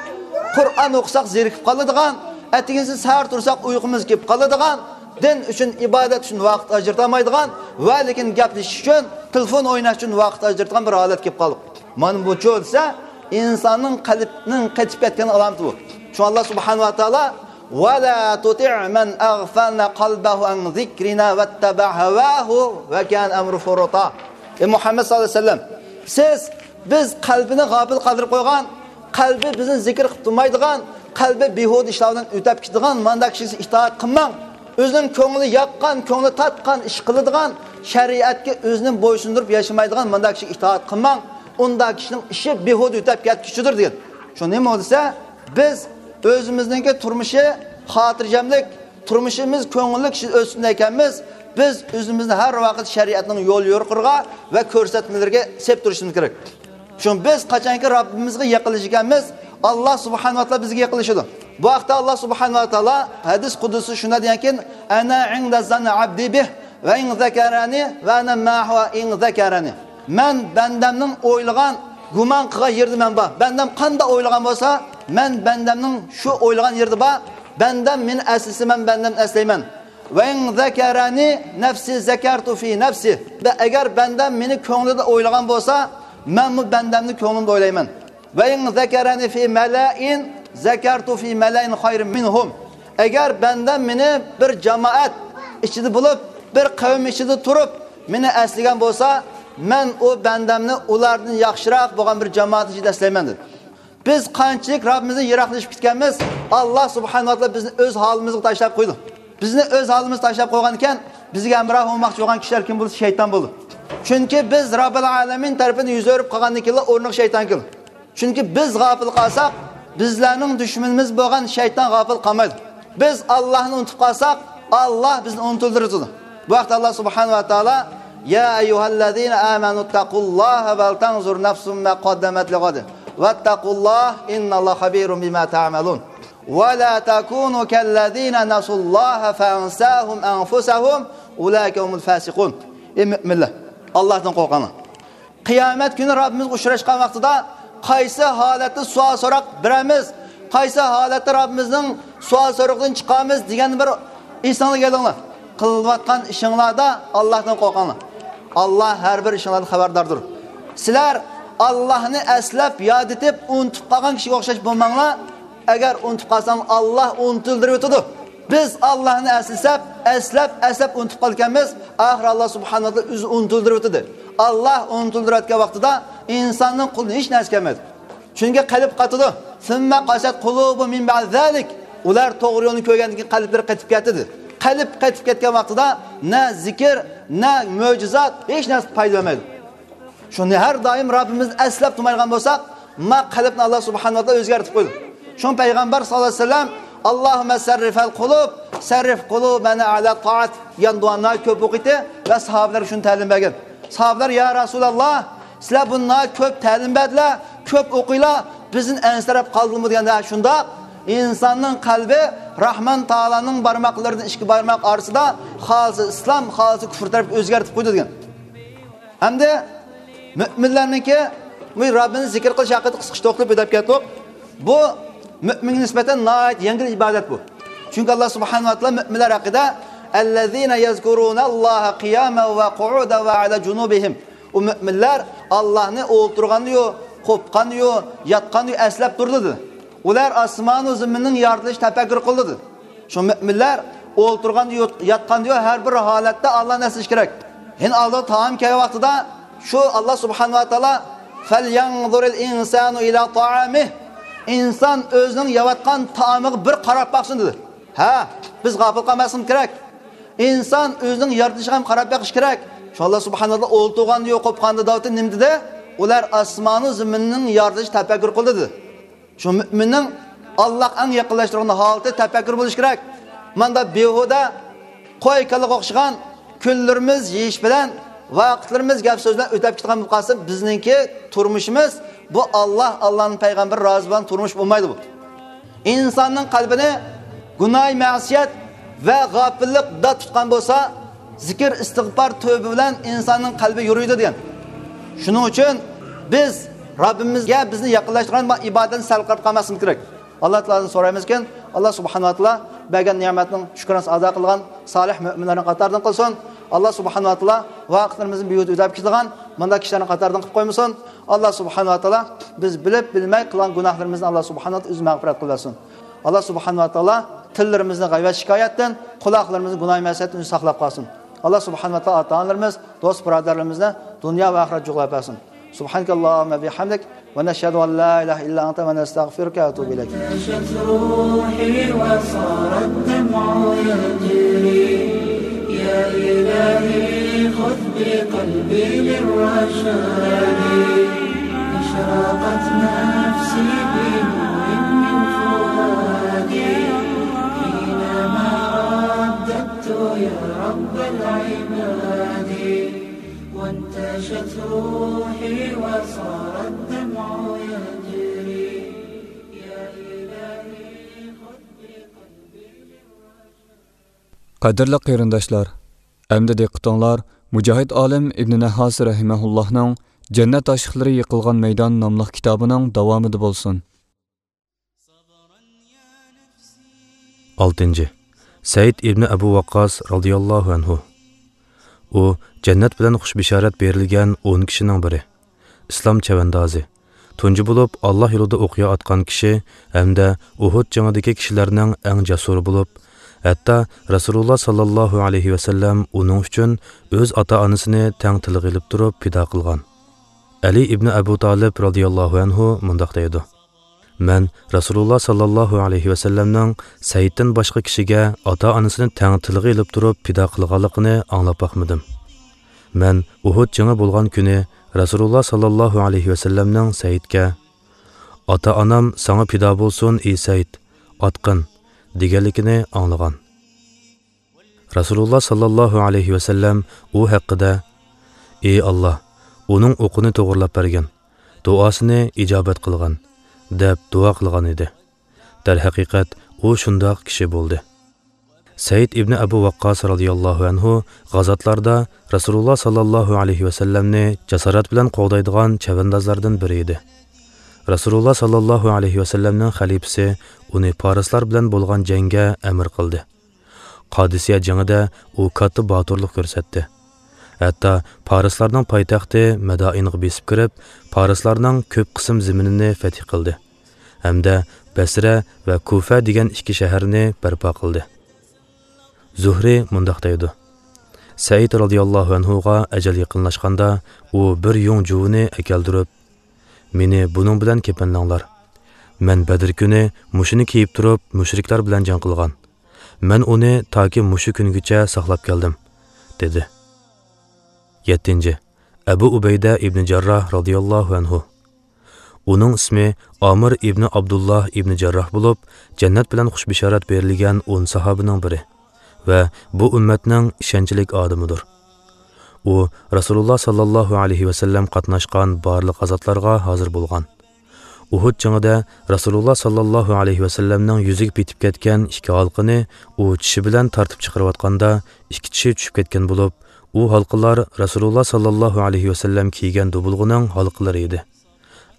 قۇرئان ئوقۇساق زېرىكىپ قالىدىغان، ئەتىگىنسى سەھەر تۇرساق ئۇيقۇمىز كېلىپ قالىدىغان، دىن ئۈچۈن، ئىبادەت ئۈچۈن ۋاقىت ئاجرىتالمايدىغان ۋە لېكىن گەپلىشىش ئۈچۈن، تېلېفون ئويناش ئۈچۈن ۋاقىت ئاجرىتىدىغان بىر ھالەتكە كېلىپ قالدۇق. مانا بۇچۇ دېسە، ئىنساننىڭ قەلبىنىڭ قېتىپ كەتكەن ئالامىتى بۇ. شۇڭا ئاللا سۇبھانەھۇ ۋە تائالا، «ۋە لا تۇتىئ مەن ئەغفەلنا قەلبەھۇ ئەن زىكرىنا ۋەتتەبەئە ھەۋاھۇ ۋە كانە ئەمرۇھۇ فۇرۇتا.» ئەي مۇھەممەد ساللاللاھۇ ئەلەيھى ۋەسەللەم، سىز، بىز قەلبىنى غاپىل قالدۇرۇپ قويغان، قەلبى بىزنى زىكىر قىلىپ تۇرمايدىغان، قەلبى بىھۇدە ئىشلار بىلەن ئۆتەپ كېتىدىغان مانداق كىشىگە ئىتائەت قىلماڭ. ئۆزىنىڭ كۆڭلى ياققان، كۆڭلى تارتقان ئىش قىلىدىغان، شەرىئەتكە ئۆزىنى بويسۇندۇرۇپ ياشىمايدىغان مانداق كىشىگە ئىتائەت قىلماڭ. ئۇنداق كىشىنىڭ ئىشى بىھۇدە ئۆتەپ كەتكۈچىدۇر دېگەن. شۇ نېمە دېسە، بىز ئۆزىمىزنىڭكى تۇرمۇشى خاتىرجەملىك، تۇرمۇشىمىز كۆڭۈللۈك ئۆتسۇن دېگەنمىز، بىز ئۆزىمىزنى ھەر ۋاقىت شەرىئەتنىڭ يول يورۇقلىرىغا ۋە كۆرسەتمىلىرىگە سېلىپ تۇرۇشىمىز كېرەك. چۈنكى بىز قاچانكى رەببىمىزگە يېقىنلىشىدىكەنمىز، ئاللا سۇبھانەھۇ ۋە تائالا بىزگە يېقىنلىشىدۇ. بۇ ھەقتە ئاللا سۇبھانەھۇ ۋە تائالا ھەدىس قۇدسىدا شۇنداق دېگەنكى، «ئەنە ئىندە زەننى ئەبدى بىھ، ۋە ئىن زەكەرەنى، ۋە ئەنە مەئەھۇ ئىن زەكەرەنى.» مەن بەندەمنىڭ ئويلىغان، گۇمان قىلغان يېرىدە مەن بار. بەندەم قانداق ئويلىغان بولسا، مەن بەندەمنىڭ شۇ ئويلىغان يېرىدە بار. بەندەم مېنى ئەسلىسە، مەن بەندەمنى ئەسلەيمەن. ۋە ئىن زەكەرەنى نەفسى زەكەرتۇ فى نەفسى. ۋە ئەگەر بەندەم مېنى كۆڭلىدە ئويلىغان بولسا، مەنمۇ بەندەمنى كۆڭلۈمدە ئويلايمەن. ۋە ئىن زەكەرەنى فى مەلەئىن زەكەرتۇ فى مەلەئىن خەيرىن مىنھۇم. ئەگەر بەندەم مېنى بىر جامائەت ئىچىدە بولۇپ، بىر قەۋم ئىچىدە تۇرۇپ، مېنى ئەسلىگەن بولسا، مەن ئۇ بەندەمنى ئۇلاردىن ياخشىراق بولغان بىر جامائەت ئىچىدە ئەسلەيمەن، دېدى. بىز قانچىلىك رەببىمىزدىن يىراقلىشىپ كەتكەنمىز، ئاللا سۇبھانەھۇ ۋە تائالا بىزنى ئۆز ھالىمىزغا تاشلاپ قويدى. بىزنى ئۆز ھالىمىزغا تاشلاپ قويغان ئىكەن، بىزگە ھەمراھ بولماقچى بولغان كىشىلەر كىم بولسا، شەيتان بولدى. چۈنكى بىز رەببىل ئالەمىن تەرىپىدىن يۈز ئۆرۈپ قالغاندىن كېيىنلا ئورنىغا شەيتان كېلىدۇ. چۈنكى بىز غاپىل قالساق، بىزلەرنىڭ دۈشمىنىمىز بولغان شەيتان غاپىل قالمايدۇ. بىز ئاللاھنى ئۇنتۇپ قالساق، ئاللاھ بىزنى ئۇنتۇلدۇرىدۇ. بۇ ھەقتە ئاللاھ سۇبھانەھۇ ۋە تائالا، يا ئەييۇھەللەزىنە ئامەنۇ تەقۇللاھە ۋەلتەنزۇر نەفسۇم مە قەددەمەت لىغەد ۋەتتەقۇللاھ ئىننەللاھە خەبىرۇم بىما تەئمەلۇن ۋە لا تەكۇنۇ كەللەزىنە نەسۇللاھە فەئەنساھۇم ئەنفۇسەھۇم ئۇلائىكە ھۇمۇل فاسىقۇن. ئەي مۆمىنلەر، ئاللاھتىن قورقۇڭلار. قىيامەت كۈنى رەببىمىزگە ئۇچراشقان ۋاقتىدا قايسى ھالەتتە سوئال سوراق بېرەمىز، قايسى ھالەتتە رەببىمىزنىڭ سوئال سورىقىدىن چىقارمىز دېگەننى بىر ئېسىڭلارغا ئېلىڭلار. قىلىۋاتقان ئىشىڭلاردا ئاللاھتىن قورقۇڭلار. ئاللاھ ھەر بىر ئىشىڭلاردىن خەۋەرداردۇر. سىلەر ئاللاھنى ئەسلەپ، ياد ئېتىپ، ئۇنتۇپ قالغان كىشىگە ئوخشاش بولماڭلار. ئەگەر ئۇنتۇپ قالساڭ، ئاللاھ ئۇنتۇلدۇرۇۋېتىدۇ. بىز ئاللاھنى ئەسلىسەپ، ئەسلەپ، ئەسلەپ ئۇنتۇپ قالىدىكەنمىز، ئاخىرى ئاللاھ سۇبھانەھۇ ۋە تائالا ئۆزى ئۇنتۇلدۇرۇۋېتىدۇ. ئاللاھ ئۇنتۇلدۇرۇۋەتكەن ۋاقتىدا ئىنساننىڭ قولىدىن ھېچ نەرسە كەلمەيدۇ. چۈنكى قەلب قاتىدۇ. ثم قست قلوبهم من بعد ذلك. ئۇلار توغرا يولنى كۆرگەندىن كېيىن قەلبلىرى قېتىپ كەتتى، دېدى. قەلب قېتىپ كەتكەن ۋاقتىدا نە زىكىر، نە مۆجىزات، ھېچ نەرسە پايدا بەرمەيدۇ. شۇنى ھەر دائىم رەببىمىزنى ئەسلەپ تۇرمايدىغان بولساق، ما قەلبنى ئاللاھ سۇبھانەھۇ ۋە تائالا ئۆزگەرتىپ قويىدۇ. شۇڭا پەيغەمبەر ساللاللاھۇ ئەلەيھى ۋەسەللەم، ئاللاھۇممە سەررىفەل قۇلۇب، سەررىف قۇلۇبەنە ئەلە تائەت دېگەن دۇئانى كۆپ ئوقۇيتتى ۋە ساھابىلەرگە شۇنى تەلىم بەرگەن. ساھابىلەر، يا رەسۇلاللاھ، سىلەر بۇنى كۆپ تەلىم بەردىلەر، كۆپ ئوقۇيلا، بىزدىن ئەنسىرەپ قالدىمۇ دېگەندە، شۇنداق، ئىنساننىڭ قەلبى راھمان تائالانىڭ بارماقلىرىدىن ئىككى بارماق ئارىسىدا خالىسا ئىسلام، خالىسا كۇفر تەرەپكە ئۆزگەرتىپ قويىدۇ دېگەن. ھەمدە مۆمىنلەرنىڭكى بۇ رەببىنى زىكىر قىلىش ھەققىدە قىسقىچە توختىلىپ ئۆتۈپ كەتتۇق. بۇ مۆمىنگە نىسبەتەن ناھايىتى يەڭگىل ئىبادەت بۇ. چۈنكى ئاللاھ سۇبھانەھۇ ۋە تائالا مۆمىنلەر ھەققىدە، ئەللەزىنە يەزكۇرۇنەللاھە قىيامەن ۋە قۇئۇدەن ۋە ئەلا جۇنۇبىھىم. ئۇ مۆمىنلەر ئاللاھنى ئولتۇرغاندىيۇ، قوپقاندىيۇ، ياتقاندىيۇ ئەسلەپ تۇرىدۇ، دېدى. ئۇلار ئاسمانۇ زېمىننىڭ يارىتىلىشىنى تەپەككۇر قىلىدۇ. شۇ مۆمىنلەر ئولتۇرغاندا، يوت-، ياتقاندا، ھەر بىر ھالەتتە ئاللانى ئەسلىشى كېرەك. يەنە ئالدىغا تائام كەلگەن ۋاقتىدا شۇ ئاللا سۇبھانەھۇ ۋە تائالا، فەليەنزۇرىل ئىنسانۇ ئىلا تائامىھ. ئىنسان ئۆزىنىڭ يەۋاتقان تائامىغا بىر قاراپ باقسۇن، دېدى. ھە، بىز غاپىل قالماسلىقىمىز كېرەك. ئىنسان ئۆزىنىڭ يارىتىلىشىغا ھەم قاراپ بېقىشى كېرەك. شۇ ئاللا سۇبھانەھۇ ۋە تائالا ئولتۇرغاندا يوق، قوپقاندا داۋتى نېمە دېدى؟ ئۇلار ئاسمانۇ زېمىننىڭ يارىتىلىشىنى تەپەككۇر قىلدى، دېدى. شۇ مۆمىننىڭ ئاللاغا ئەڭ يېقىنلاشتۇرغان ھالىتى تەپەككۇر بولۇشى كېرەك. ماندا بىھۇدە قوي كالىغا ئوخشىغان كۈنلىرىمىز يېيىش بىلەن، ۋاقىتلىرىمىز گەپ سۆز بىلەن ئۆتۈپ كېتىدىغان بولۇپ قالسا، بىزنىڭكى تۇرمۇشىمىز بۇ ئاللا، ئاللانىڭ پەيغەمبىرى رازى بولغان تۇرمۇش بولمايدۇ بۇ. ئىنساننىڭ قەلبىنى گۇناھ، مەسىيەت ۋە غاپىللىق دات تۇتقان بولسا، زىكىر، ئىستىغپار، تۆۋبە بىلەن ئىنساننىڭ قەلبى يورۇيدۇ دېگەن. شۇنىڭ ئۈچۈن بىز رەببىمىزگە بىزنى يېقىنلاشتۇرغان ئىبادەتنى سەل قارىتىپ قالماسلىقىمىز كېرەك. ئاللا تائالادىن سورايمىزكىن، ئاللا سۇبھانەھۇ ۋە تائالا بەرگەن نېمەتنىڭ شۈكرانىسىنى ئادا قىلغان سالىھ مۆمىنلەرنىڭ قاتارىدىن قىلسۇن. ئاللا سۇبھانەھۇ ۋە تائالا ۋاقىتلىرىمىزنى بىھۇدە ئۆتۈپ كېتىدىغان مۇنداق كىشىلەرنىڭ قاتارىدىن قىلىپ قويمىسۇن. ئاللا سۇبھانەھۇ ۋە تائالا بىز بىلىپ بىلمەي قىلغان گۇناھلىرىمىزنى ئاللا سۇبھانەھۇ ۋە تائالا ئۆزى مەغپىرەت قىلىۋەرسۇن. ئاللا سۇبھانەھۇ ۋە تائالا تىللىرىمىزنى غەيۋەت شىكايەتتىن، قۇلاقلىرىمىزنى گۇناھ مەسىيەتتىن ئۆزى ساقلاپ قالسۇن. ئاللا سۇبھانەھۇ ۋە تائالا ئاتا-ئانىلىرىمىز، دوست بۇرادەرلىرىمىزنى دۇنيا ۋە ئاخىرەت جۇغلاپ بەرسۇن. سۇبھانەكەللاھۇممە بىھەمدىك، ۋە نەشھەدۇ ئەن لا ئىلاھە ئىللا ئەنتە، ۋە نەستەغفىرۇكە ۋە نەتۇبۇ ئىلەيك. انتشت روحي وصار الدمع يجري. يا إلهي خذ بقلبي للرشاد. أشرقت نفسي بنور من فؤادي. حينما رددت يا رب العباد. وانتشت روحي وصار الدمع يجري. يا إلهي خذ بقلبي للرشاد. قەدىرلىك قېرىنداشلار، ئەمدى دىققىتىڭلار مۇجاھىد ئالىم ئىبنى نەھھاس رەھىمەھۇللاھنىڭ جەننەت ئاشىقلىرى يىقىلغان مەيدان ناملىق كىتابىنىڭ داۋامىدا بولسۇن. ئالتىنچى، سەئىد ئىبنى ئەبۇ ۋەققاس رازىياللاھۇ ئەنھۇ. ئۇ جەننەت بىلەن خۇش بېشارەت بېرىلگەن ئون كىشىنىڭ بىرى، ئىسلام چەۋەندازى، تۇنجى بولۇپ ئاللا يولىدا ئوقيا ئاتقان كىشى ھەمدە ئۇھۇد جېڭىدىكى كىشىلەرنىڭ ئەڭ جەسۇرى بولۇپ، ھەتتا رەسۇلۇللا ساللاللاھۇ ئەلەيھى ۋەسەللەم ئۇنىڭ ئۈچۈن ئۆز ئاتا-ئانىسىنى تەڭ تىلغا ئېلىپ تۇرۇپ پىدا قىلغان. ئەلى ئىبنى ئەبۇ تالىپ رازىياللاھۇ ئەنھۇ مۇنداق دەيدۇ: مەن رەسۇلۇللا ساللاللاھۇ ئەلەيھى ۋەسەللەمنىڭ سەئىدتىن باشقا كىشىگە ئاتا-ئانىسىنى تەڭ تىلغا ئېلىپ تۇرۇپ پىدا قىلغانلىقىنى ئاڭلاپ باقمىدىم. مەن ئۇھۇد جېڭى بولغان كۈنى رەسۇلۇللا ساللاللاھۇ ئەلەيھى ۋەسەللەمنىڭ سەئىدكە، «ئاتا-ئانام ساڭا پىدا بولسۇن، ئى سەئىد، ئاتقىن» دېگەنلىكىنى ئاڭلىغان. رەسۇلۇللا ساللاللاھۇ ئەلەيھى ۋەسەللەم ئۇ ھەققىدە، «ئى ئاللا، ئۇنىڭ ئوقىنى توغرىلاپ بەرگىن، دۇئاسىنى ئىجابەت قىلغىن» دەپ دۇئا قىلغان ئىدى. دەرھەقىقەت، ئۇ شۇنداق كىشى بولدى. سەئىد ئىبنى ئەبۇ ۋەققاس رازىياللاھۇ ئەنھۇ غازاتلاردا رەسۇلۇللا ساللاللاھۇ ئەلەيھى ۋەسەللەمنى جاسارەت بىلەن قوغدايدىغان چەۋەندازلاردىن بىرى ئىدى. رەسۇلۇللا ساللاللاھۇ ئەلەيھى ۋەسەللەمنىڭ خەلىپىسى ئۇنى پارسلار بىلەن بولغان جەڭگە ئەمىر قىلدى. قادىسىيە جېڭىدە ئۇ كاتتا باتۇرلۇق كۆرسەتتى. ھەتتا پارسلارنىڭ پايتەختى مەدائىنغا بېسىپ كىرىپ، پارسلارنىڭ كۆپ قىسىم زېمىنىنى فەتھ قىلدى ھەمدە بەسرە ۋە كۇفە دېگەن ئىككى شەھەرنى بەرپا قىلدى. زۇھرى مۇنداق دەيدۇ: سەئىد رازىياللاھۇ ئەنھۇغا ئەجەل يېقىنلاشقاندا، ئۇ بىر يۇڭ جۇۋىنى ئەكەلدۈرۈپ، «مېنى بۇنىڭ بىلەن كېپەنلەڭلار. مەن بەدىر كۈنى مۇشۇنى كىيىپ تۇرۇپ، مۇشرىكلار بىلەن جەڭ قىلغان. مەن ئۇنى تاكى مۇشۇ كۈنگىچە ساقلاپ كەلدىم» دېدى. يەتتىنچى، ئەبۇ ئۇبەيدە ئىبنى جەرراھ رازىياللاھۇ ئەنھۇ. ئۇنىڭ ئىسمى ئامىر ئىبنى ئابدۇللاھ ئىبنى جەرراھ بولۇپ، جەننەت بىلەن خۇش بېشارەت بېرىلگەن ئون ساھابىنىڭ بىرى ۋە بۇ ئۈممەتنىڭ ئىشەنچلىك ئادىمىدۇر. ئۇ رەسۇلۇللا ساللاللاھۇ ئەلەيھى ۋەسەللەم قاتناشقان بارلىق غازاتلارغا ھازىر بولغان. ئۇھۇد جېڭىدە رەسۇلۇللا ساللاللاھۇ ئەلەيھى ۋەسەللەمنىڭ يۈزىگە پېتىپ كەتكەن ئىككى ھالقىنى ئۇ چىشى بىلەن تارتىپ چىقىرىۋاتقاندا، ئىككى چىشى چۈشۈپ كەتكەن بولۇپ، ئۇ ھالقىلار رەسۇلۇللا ساللاللاھۇ ئەلەيھى ۋەسەللەم كىيگەن دۇبۇلغىنىڭ ھالقىلىرى ئىدى.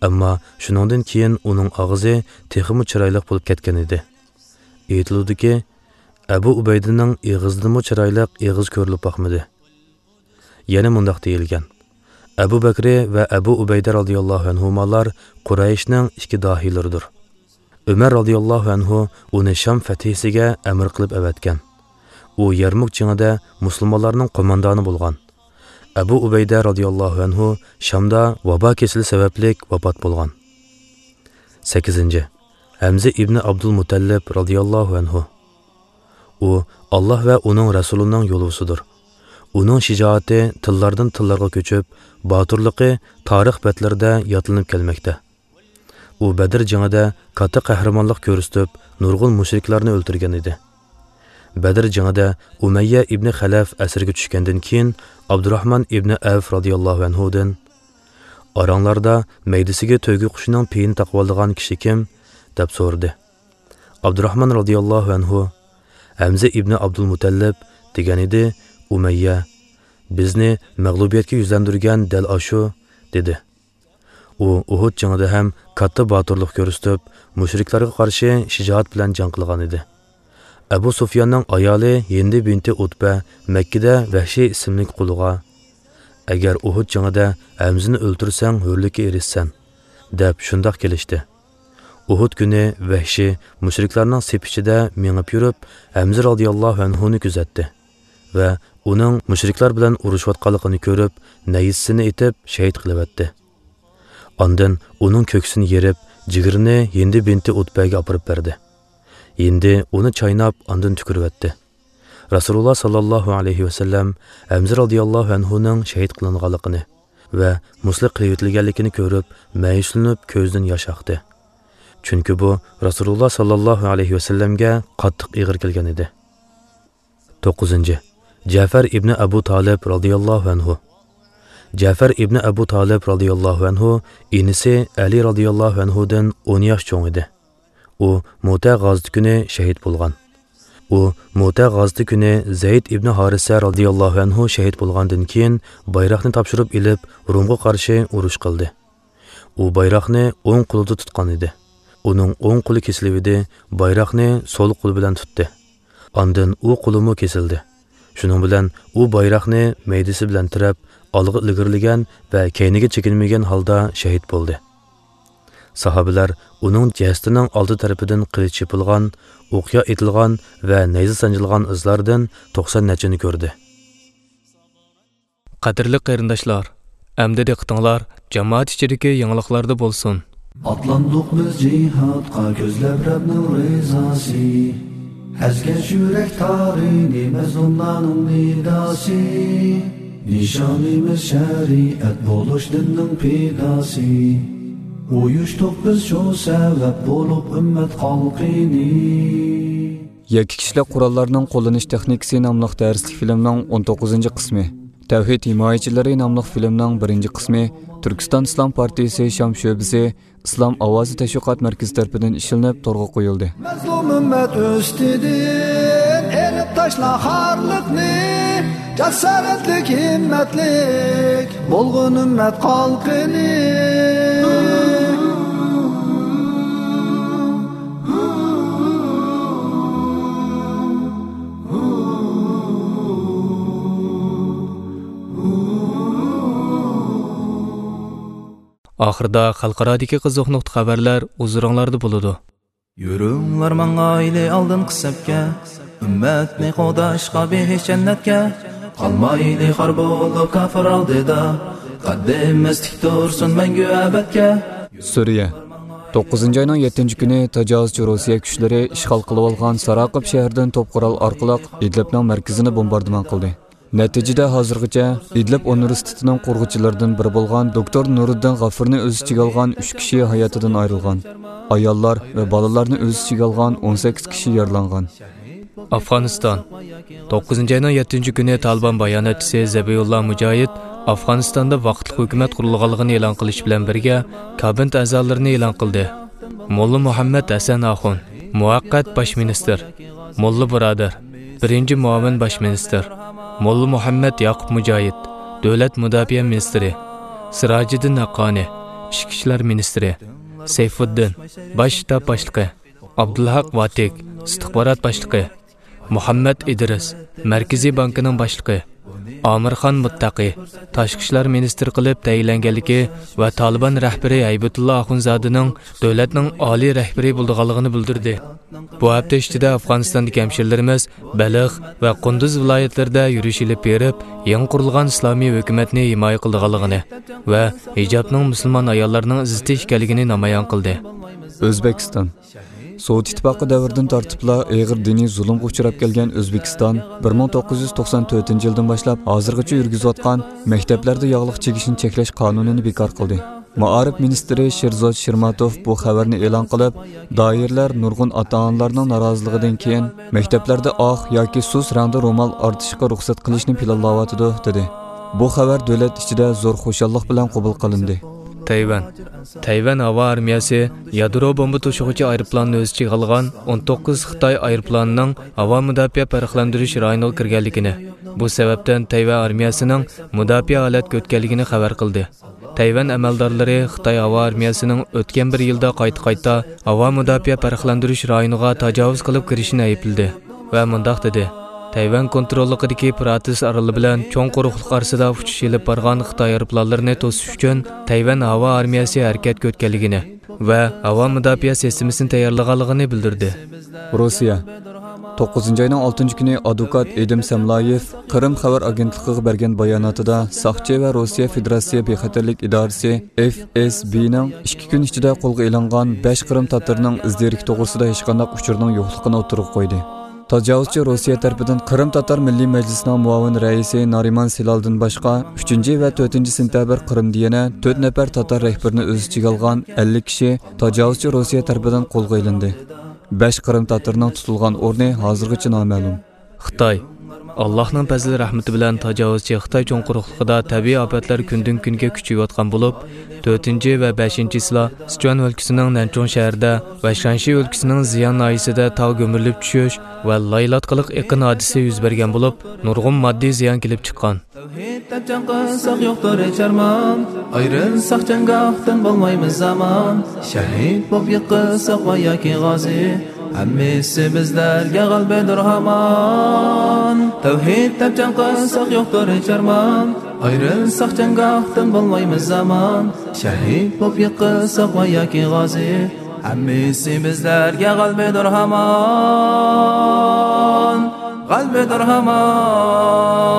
ئەمما شۇنىڭدىن كېيىن ئۇنىڭ ئاغزى تېخىمۇ چىرايلىق بولۇپ كەتكەن ئىدى. ئېيتىلىدۇكى، ئەبۇ ئۇبەيدىنىڭ ئېغىزىدىنمۇ چىرايلىق ئېغىز كۆرۈلۈپ باقمىدى. يەنە مۇنداق دېيىلگەن: ئەبۇ بەكرى ۋە ئەبۇ ئۇبەيدە رازىياللاھۇ ئەنھۇمالار قۇرەيشنىڭ ئىككى داھىيلىرىدۇر. ئۆمەر رازىياللاھۇ ئەنھۇ ئۇنى شام فەتھىسىگە ئەمىر قىلىپ ئەۋەتكەن. ئۇ يەرمۇك جېڭىدە مۇسۇلمانلارنىڭ قوماندانى بولغان. ئەبۇ ئۇبەيدە رازىياللاھۇ ئەنھۇ شامدا ۋابا كېسىلى سەۋەبلىك ۋاپات بولغان. سەككىزىنچى، ھەمزە ئىبنى ئابدۇلمۇتەللىپ رازىياللاھۇ ئەنھۇ. ئۇ ئاللا ۋە ئۇنىڭ رەسۇلىنىڭ يولۋىسىدۇر. ئۇنىڭ شىجائىتى تىللاردىن تىللارغا كۆچۈپ، باتۇرلۇقى تارىخ بەتلىرىدە يادلىنىپ كەلمەكتە. ئۇ بەدر جېڭىدە كاتتا قەھرىمانلىق كۆرسىتىپ، نۇرغۇن مۇشرىكلارنى ئۆلتۈرگەن ئىدى. بەدر جېڭىدە ئۇمەييە ئىبنى خەلەف ئەسىرگە چۈشكەندىن كېيىن، ئابدۇراخمان ئىبنى ئەۋف رازىياللاھۇ ئەنھۇدىن، «ئاراڭلاردا مەيدىسىگە تۆگە قۇشىنىڭ پېيىنى تاقىۋالىدىغان كىشى كىم؟» دەپ سورىدى. ئابدۇراخمان رازىياللاھۇ ئەنھۇ، «ھەمزە ئىبنى ئابدۇلمۇتەللىپ» دېگەن ئىدى. ئۇمەييە، «بىزنى مەغلۇبىيەتكە يۈزلەندۈرگەن دەل ئاشۇ» دېدى. ئۇ ئۇھۇد جېڭىدە ھەم كاتتا باتۇرلۇق كۆرسىتىپ، مۇشرىكلارغا قارشى شىجائەت بىلەن جەڭ قىلغان ئىدى. ئەبۇ سۇفياننىڭ ئايالى ھىندى بىنتى ئۇتبە مەككىدە ۋەھشىي ئىسىملىك قۇلغا، «ئەگەر ئۇھۇد جېڭىدە ھەمزىنى ئۆلتۈرسەڭ، ھۆرلۈككە ئېرىشىسەن» دەپ شۇنداق كېلىشتى. ئۇھۇد كۈنى ۋەھشىي مۇشرىكلارنىڭ سېپى ئىچىدە مېڭىپ يۈرۈپ، ھەمزە رازىياللاھۇ ئەنھۇنى كۆزەتتى ۋە ئۇنىڭ مۇشرىكلار بىلەن ئۇرۇشۇۋاتقانلىقىنى كۆرۈپ، نەيزىسىنى ئېتىپ شېھىت قىلىۋەتتى. ئاندىن ئۇنىڭ كۆكسىنى يېرىپ، جىگىرىنى ھىندى بىنتى ئۇتبەگە ئاپىرىپ بەردى. ھىندى ئۇنى چايناپ، ئاندىن تۈكۈرۈۋەتتى. رەسۇلۇللا ساللاللاھۇ ئەلەيھى ۋەسەللەم ھەمزە رازىياللاھۇ ئەنھۇنىڭ شېھىت قىلىنغانلىقىنى ۋە مۇسلىق قىلىۋېتىلگەنلىكىنى كۆرۈپ، مەيۈسلىنىپ، كۆزىدىن ياش ئاقتى. چۈنكى بۇ رەسۇلۇللا ساللاللاھۇ ئەلەيھى ۋەسەللەمگە قاتتىق ئېغىر كەلگەن ئىدى. توققۇزىنچى، جەفەر ئىبنى ئەبۇ تالىپ رازىياللاھۇ ئەنھۇ. جەفەر ئىبنى ئەبۇ تالىپ رازىياللاھۇ ئەنھۇ ئىنىسى ئەلى رازىياللاھۇ ئەنھۇدىن ئون ياش چوڭ ئىدى. ئۇ مۇتە غازىتى كۈنى شېھىت بولغان. ئۇ مۇتە غازىتى كۈنى زەيد ئىبنى ھارىسە رازىياللاھۇ ئەنھۇ شەھىت بولغاندىن كېيىن، بايراقنى تاپشۇرۇپ ئېلىپ، رومغا قارشى ئۇرۇش قىلدى. ئۇ بايراقنى ئوڭ قولىدا تۇتقان ئىدى. ئۇنىڭ ئوڭ قولى كېسىلىۋىدى، بايراقنى سول قولى بىلەن تۇتتى. ئاندىن ئۇ قولىمۇ كېسىلدى. شۇنىڭ بىلەن ئۇ بايراقنى مەيدىسى بىلەن تىرەپ، ئالغا ئىلگىرىلىگەن ۋە كەينىگە چېكىنمىگەن ھالدا شەھىت بولدى. ساھابىلەر ئۇنىڭ جەسىتىنىڭ ئالدى تەرىپىدىن قىلىچ چېپىلغان، ئوقيا ئېتىلغان ۋە نەيزە سانجىلغان ئىزلاردىن توقسان نەچچىنى كۆردى. قەدىرلىك قېرىنداشلار، ئەمدى دىققىتىڭلار جامائەت ئىچىدىكى يېڭىلىقلاردا بولسۇن. ئاتلاندۇق بىز جىھادقا كۆزلەپ رەبنىڭ رىزاسى. ئەزگەش يۈرەك تارىنى مەزلۇملارنىڭ نىداسى. نىشانىمىز شەرىئەت بولۇش دىننىڭ پىداسى. ئۇيۇشتۇق بىز شۇ سەۋەب بولۇپ ئۈممەت خەلقىنى. يەككە كىشىلىك قوراللارنىڭ قوللىنىش تېخنىكىسى ناملىق دەرسلىك فىلىمنىڭ ئون توققۇزىنچى قىسمى، تەۋھىد ھىمايىچىلىرى ناملىق فىلىمنىڭ بىرىنچى قىسمى، تۈركىستان ئىسلام پارتىيىسى شام شۆبىسى ئىسلام ئاۋازى تەشۋىقات مەركىزى تەرىپىدىن ئىشلىنىپ تورغا قويۇلدى. مەزلۇم ئۈممەت ئۈستىدىن ئېلىپ تاشلا خارلىقنى، جاسارەتلىك، ھىممەتلىك بولغىن ئۈممەت خەلقىنى. ئاخىرىدا خەلقئارادىكى قىزىق نۇقتا خەۋەرلەر ھۇزۇرۇڭلاردا بولىدۇ. يۈرۈڭلار ماڭايلى ئالدىنقى سەپكە، ئۈممەتنى قوغداشقا بېھىش جەننەتكە. قالمايلى خار بولۇپ كاپىر ئالدىدا، قەددىمىز تىك تۇرسۇن مەڭگۈ ئەبەدكە. سۈرىيە. توققۇزىنچى ئاينىڭ يەتتىنچى كۈنى تاجاۋۇزچى روسىيە كۈچلىرى ئىشغال قىلىۋالغان ساراقىب شەھىرىدىن توپ قورال ئارقىلىق ئىدلىبنىڭ مەركىزىنى بومباردىمان قىلدى. نەتىجىدە، ھازىرغىچە ئىدلىب ئۇنىۋېرسىتېتىنىڭ قۇرغۇچىلىرىدىن بىرى بولغان دوكتور نۇرىدىن غافۇرنى ئۆز ئىچىگە ئالغان ئۈچ كىشى ھاياتىدىن ئايرىلغان. ئاياللار ۋە بالىلارنى ئۆز ئىچىگە ئالغان ئون سەككىز كىشى يارىلانغان. ئافغانىستان. توققۇزىنچى ئاينىڭ يەتتىنچى كۈنى تالىبان باياناتچىسى زەبىھۇللا مۇجاھىد ئافغانىستاندا ۋاقىتلىق ھۆكۈمەت قۇرۇلغانلىقىنى ئېلان قىلىش بىلەن بىرگە، كابىنېت ئەزالىرىنى ئېلان قىلدى. موللا مۇھەممەد ھەسەن ئاخۇن، مۇۋەققەت باش مىنىستىر، موللا بۇرادەر، بىرىنچى مۇئاۋىن باش مىنىستىر، موللا مۇھەممەد ياقۇپ مۇجاھىد، دۆلەت مۇداپىئە مىنىستىرى، سىراجىدىن ھەققانى، ئىچكى ئىشلار مىنىستىرى، سەيفۇددىن، باش شتاب باشلىقى، ئابدۇلھەق ۋاتىك، ئىستىخبارات باشلىقى، مۇھەممەد ئىدرىس، مەركىزىي بانكىنىڭ باشلىقى، ئامىرخان مۇتتەقى تاشقى ئىشلار مىنىستىرى قىلىپ تەيىنلەنگەنلىكى ۋە تالىبان رەھبىرى ھەيبەتۇللا ئاخۇنزادىنىڭ دۆلەتنىڭ ئالىي رەھبىرى بولىدىغانلىقىنى بىلدۈردى. بۇ ھەپتە ئىچىدە ئافغانىستاندىكى ھەمشىرىلىرىمىز بەلخ ۋە قۇندۇز ۋىلايەتلىرىدە يۈرۈش ئېلىپ بېرىپ، يېڭى قۇرۇلغان ئىسلامىي ھۆكۈمەتنى ھىمايە قىلىدىغانلىقىنى ۋە ھىجابنىڭ مۇسۇلمان ئاياللارنىڭ ئىززىتى ئىكەنلىكىنى نامايان قىلدى. ئۆزبېكىستان. سوۋېت ئىتتىپاقى دەۋرىدىن تارتىپلا ئېغىر دىنىي زۇلۇمغا ئۇچراپ كەلگەن ئۆزبېكىستان بىر مىڭ توققۇز يۈز توقسان تۆتىنچى يىلدىن باشلاپ ھازىرغىچە يۈرگۈزۈۋاتقان مەكتەپلەردە ياغلىق چىگىشنى چەكلەش قانۇنىنى بىكار قىلدى. مائارىپ مىنىستىرى شېرزود شىرماتوف بۇ خەۋەرنى ئېلان قىلىپ، دائىرىلەر نۇرغۇن ئاتا-ئانىلارنىڭ نارازىلىقىدىن كېيىن مەكتەپلەردە ئاق ياكى سۇس رەڭدە رومال ئارتىشقا رۇخسەت قىلىشنى پىلانلاۋاتىدۇ، دېدى. بۇ خەۋەر دۆلەت ئىچىدە زور خۇشاللىق بىلەن قوبۇل قىلىندى. تەيۋەن. تەيۋەن ھاۋا ئارمىيەسى يادرو بومبا توشۇغۇچى ئايروپىلاننى ئۆز ئىچىگە ئالغان ئون توققۇز خىتاي ئايروپىلانىنىڭ ھاۋا مۇداپىئە پەرقلەندۈرۈش رايونىغا كىرگەنلىكىنى، بۇ سەۋەبتىن تەيۋەن ئارمىيەسىنىڭ مۇداپىئە ھالەتكە ئۆتكەنلىكىنى خەۋەر قىلدى. تەيۋەن ئەمەلدارلىرى خىتاي ھاۋا ئارمىيەسىنىڭ ئۆتكەن بىر يىلدا قايتا-قايتا ھاۋا مۇداپىئە پەرقلەندۈرۈش رايونىغا تاجاۋۇز قىلىپ كىرىشىنى ئەيىبلىدى ۋە مۇنداق دېدى: تەيۋەن كونتروللۇقىدىكى پىراتىس ئارىلى بىلەن چوڭ قۇرۇقلۇق ئارىسىدا ئۇچۇش ئېلىپ بارغان خىتاي ئايروپىلانلىرىنى توسۇش ئۈچۈن تەيۋەن ھاۋا ئارمىيەسى ھەرىكەتكە ئۆتكەنلىكىنى ۋە ھاۋا مۇداپىئە سىستېمىسىنى تەييارلىغانلىقىنى بىلدۈردى. روسىيە. توققۇزىنچى ئاينىڭ ئالتىنچى كۈنى ئادۋوكات ئېدىم سەملايېف قىرىم خەۋەر ئاگېنتلىقىغا بەرگەن باياناتىدا، ساقچى ۋە روسىيە فېدېراتسىيە بىخەتەرلىك ئىدارىسى، ئېف ئېس بىنىڭ ئىككى كۈن ئىچىدە قولغا ئېلىنغان بەش قىرىم تاتارنىڭ ئىز دېرىكى توغرىسىدا ھېچقانداق ئۇچۇرنىڭ يوقلۇقىنى ئوتتۇرىغا قويدى. تاجاۋۇزچى روسىيە تەرىپىدىن قىرىم تاتار مىللىي مەجلىسىنىڭ مۇئاۋىن رەئىسى نارىمان سىلالدىن باشقا، ئۈچىنچى ۋە تۆتىنچى سېنتەبىر قىرىمدا يەنە تۆت نەپەر تاتار رەھبىرىنى ئۆز ئىچىگە ئالغان ئەللىك كىشى تاجاۋۇزچى روسىيە تەرىپىدىن قولغا ئېلىندى. بەش قىرىم تاتىرىنىڭ تۇتۇلغان ئورنى ھازىرغىچە نامەلۇم. خىتاي. ئاللاھنىڭ پەزلى رەھمىتى بىلەن تاجاۋۇزچى خىتاي چوڭ قۇرۇقلۇقىدا تەبىئىي ئاپەتلەر كۈندىن كۈنگە كۈچىيىۋاتقان بولۇپ، تۆتىنچى ۋە بەشىنچىسىلا سىچۈەن ئۆلكىسىنىڭ نەنچۇڭ شەھىرىدە ۋە شانشى ئۆلكىسىنىڭ زىيان ناھىيەسىدە تاغ گۈمۈرۈلۈپ چۈشۈش ۋە لايلاتقىلىق ئېقىن ھادىسىسى يۈز بەرگەن بولۇپ، نۇرغۇن ماددىي زىيان كېلىپ چىققان. تەۋھىد دەپ جەڭ قىلساق يوقتۇر ھېچ ئارمان، ئايرىلساق جەڭگاھتىن بولمايمىز ئامان، شەھىد بولۇپ يىقىلساق ۋە ياكى غازى، ھەممىسى بىزلەرگە غەلىبىدۇر ھامان. تەۋھىد دەپ جەڭ قىلساق يوقتۇر ھېچ ئارمان، ئايرىلساق جەڭگاھتىن بولمايمىز ئامان، شەھىد بولۇپ يىقىلساق ۋە ياكى غازى، ھەممىسى بىزلەرگە غەلىبىدۇر ھامان، غەلىبىدۇر ھامان.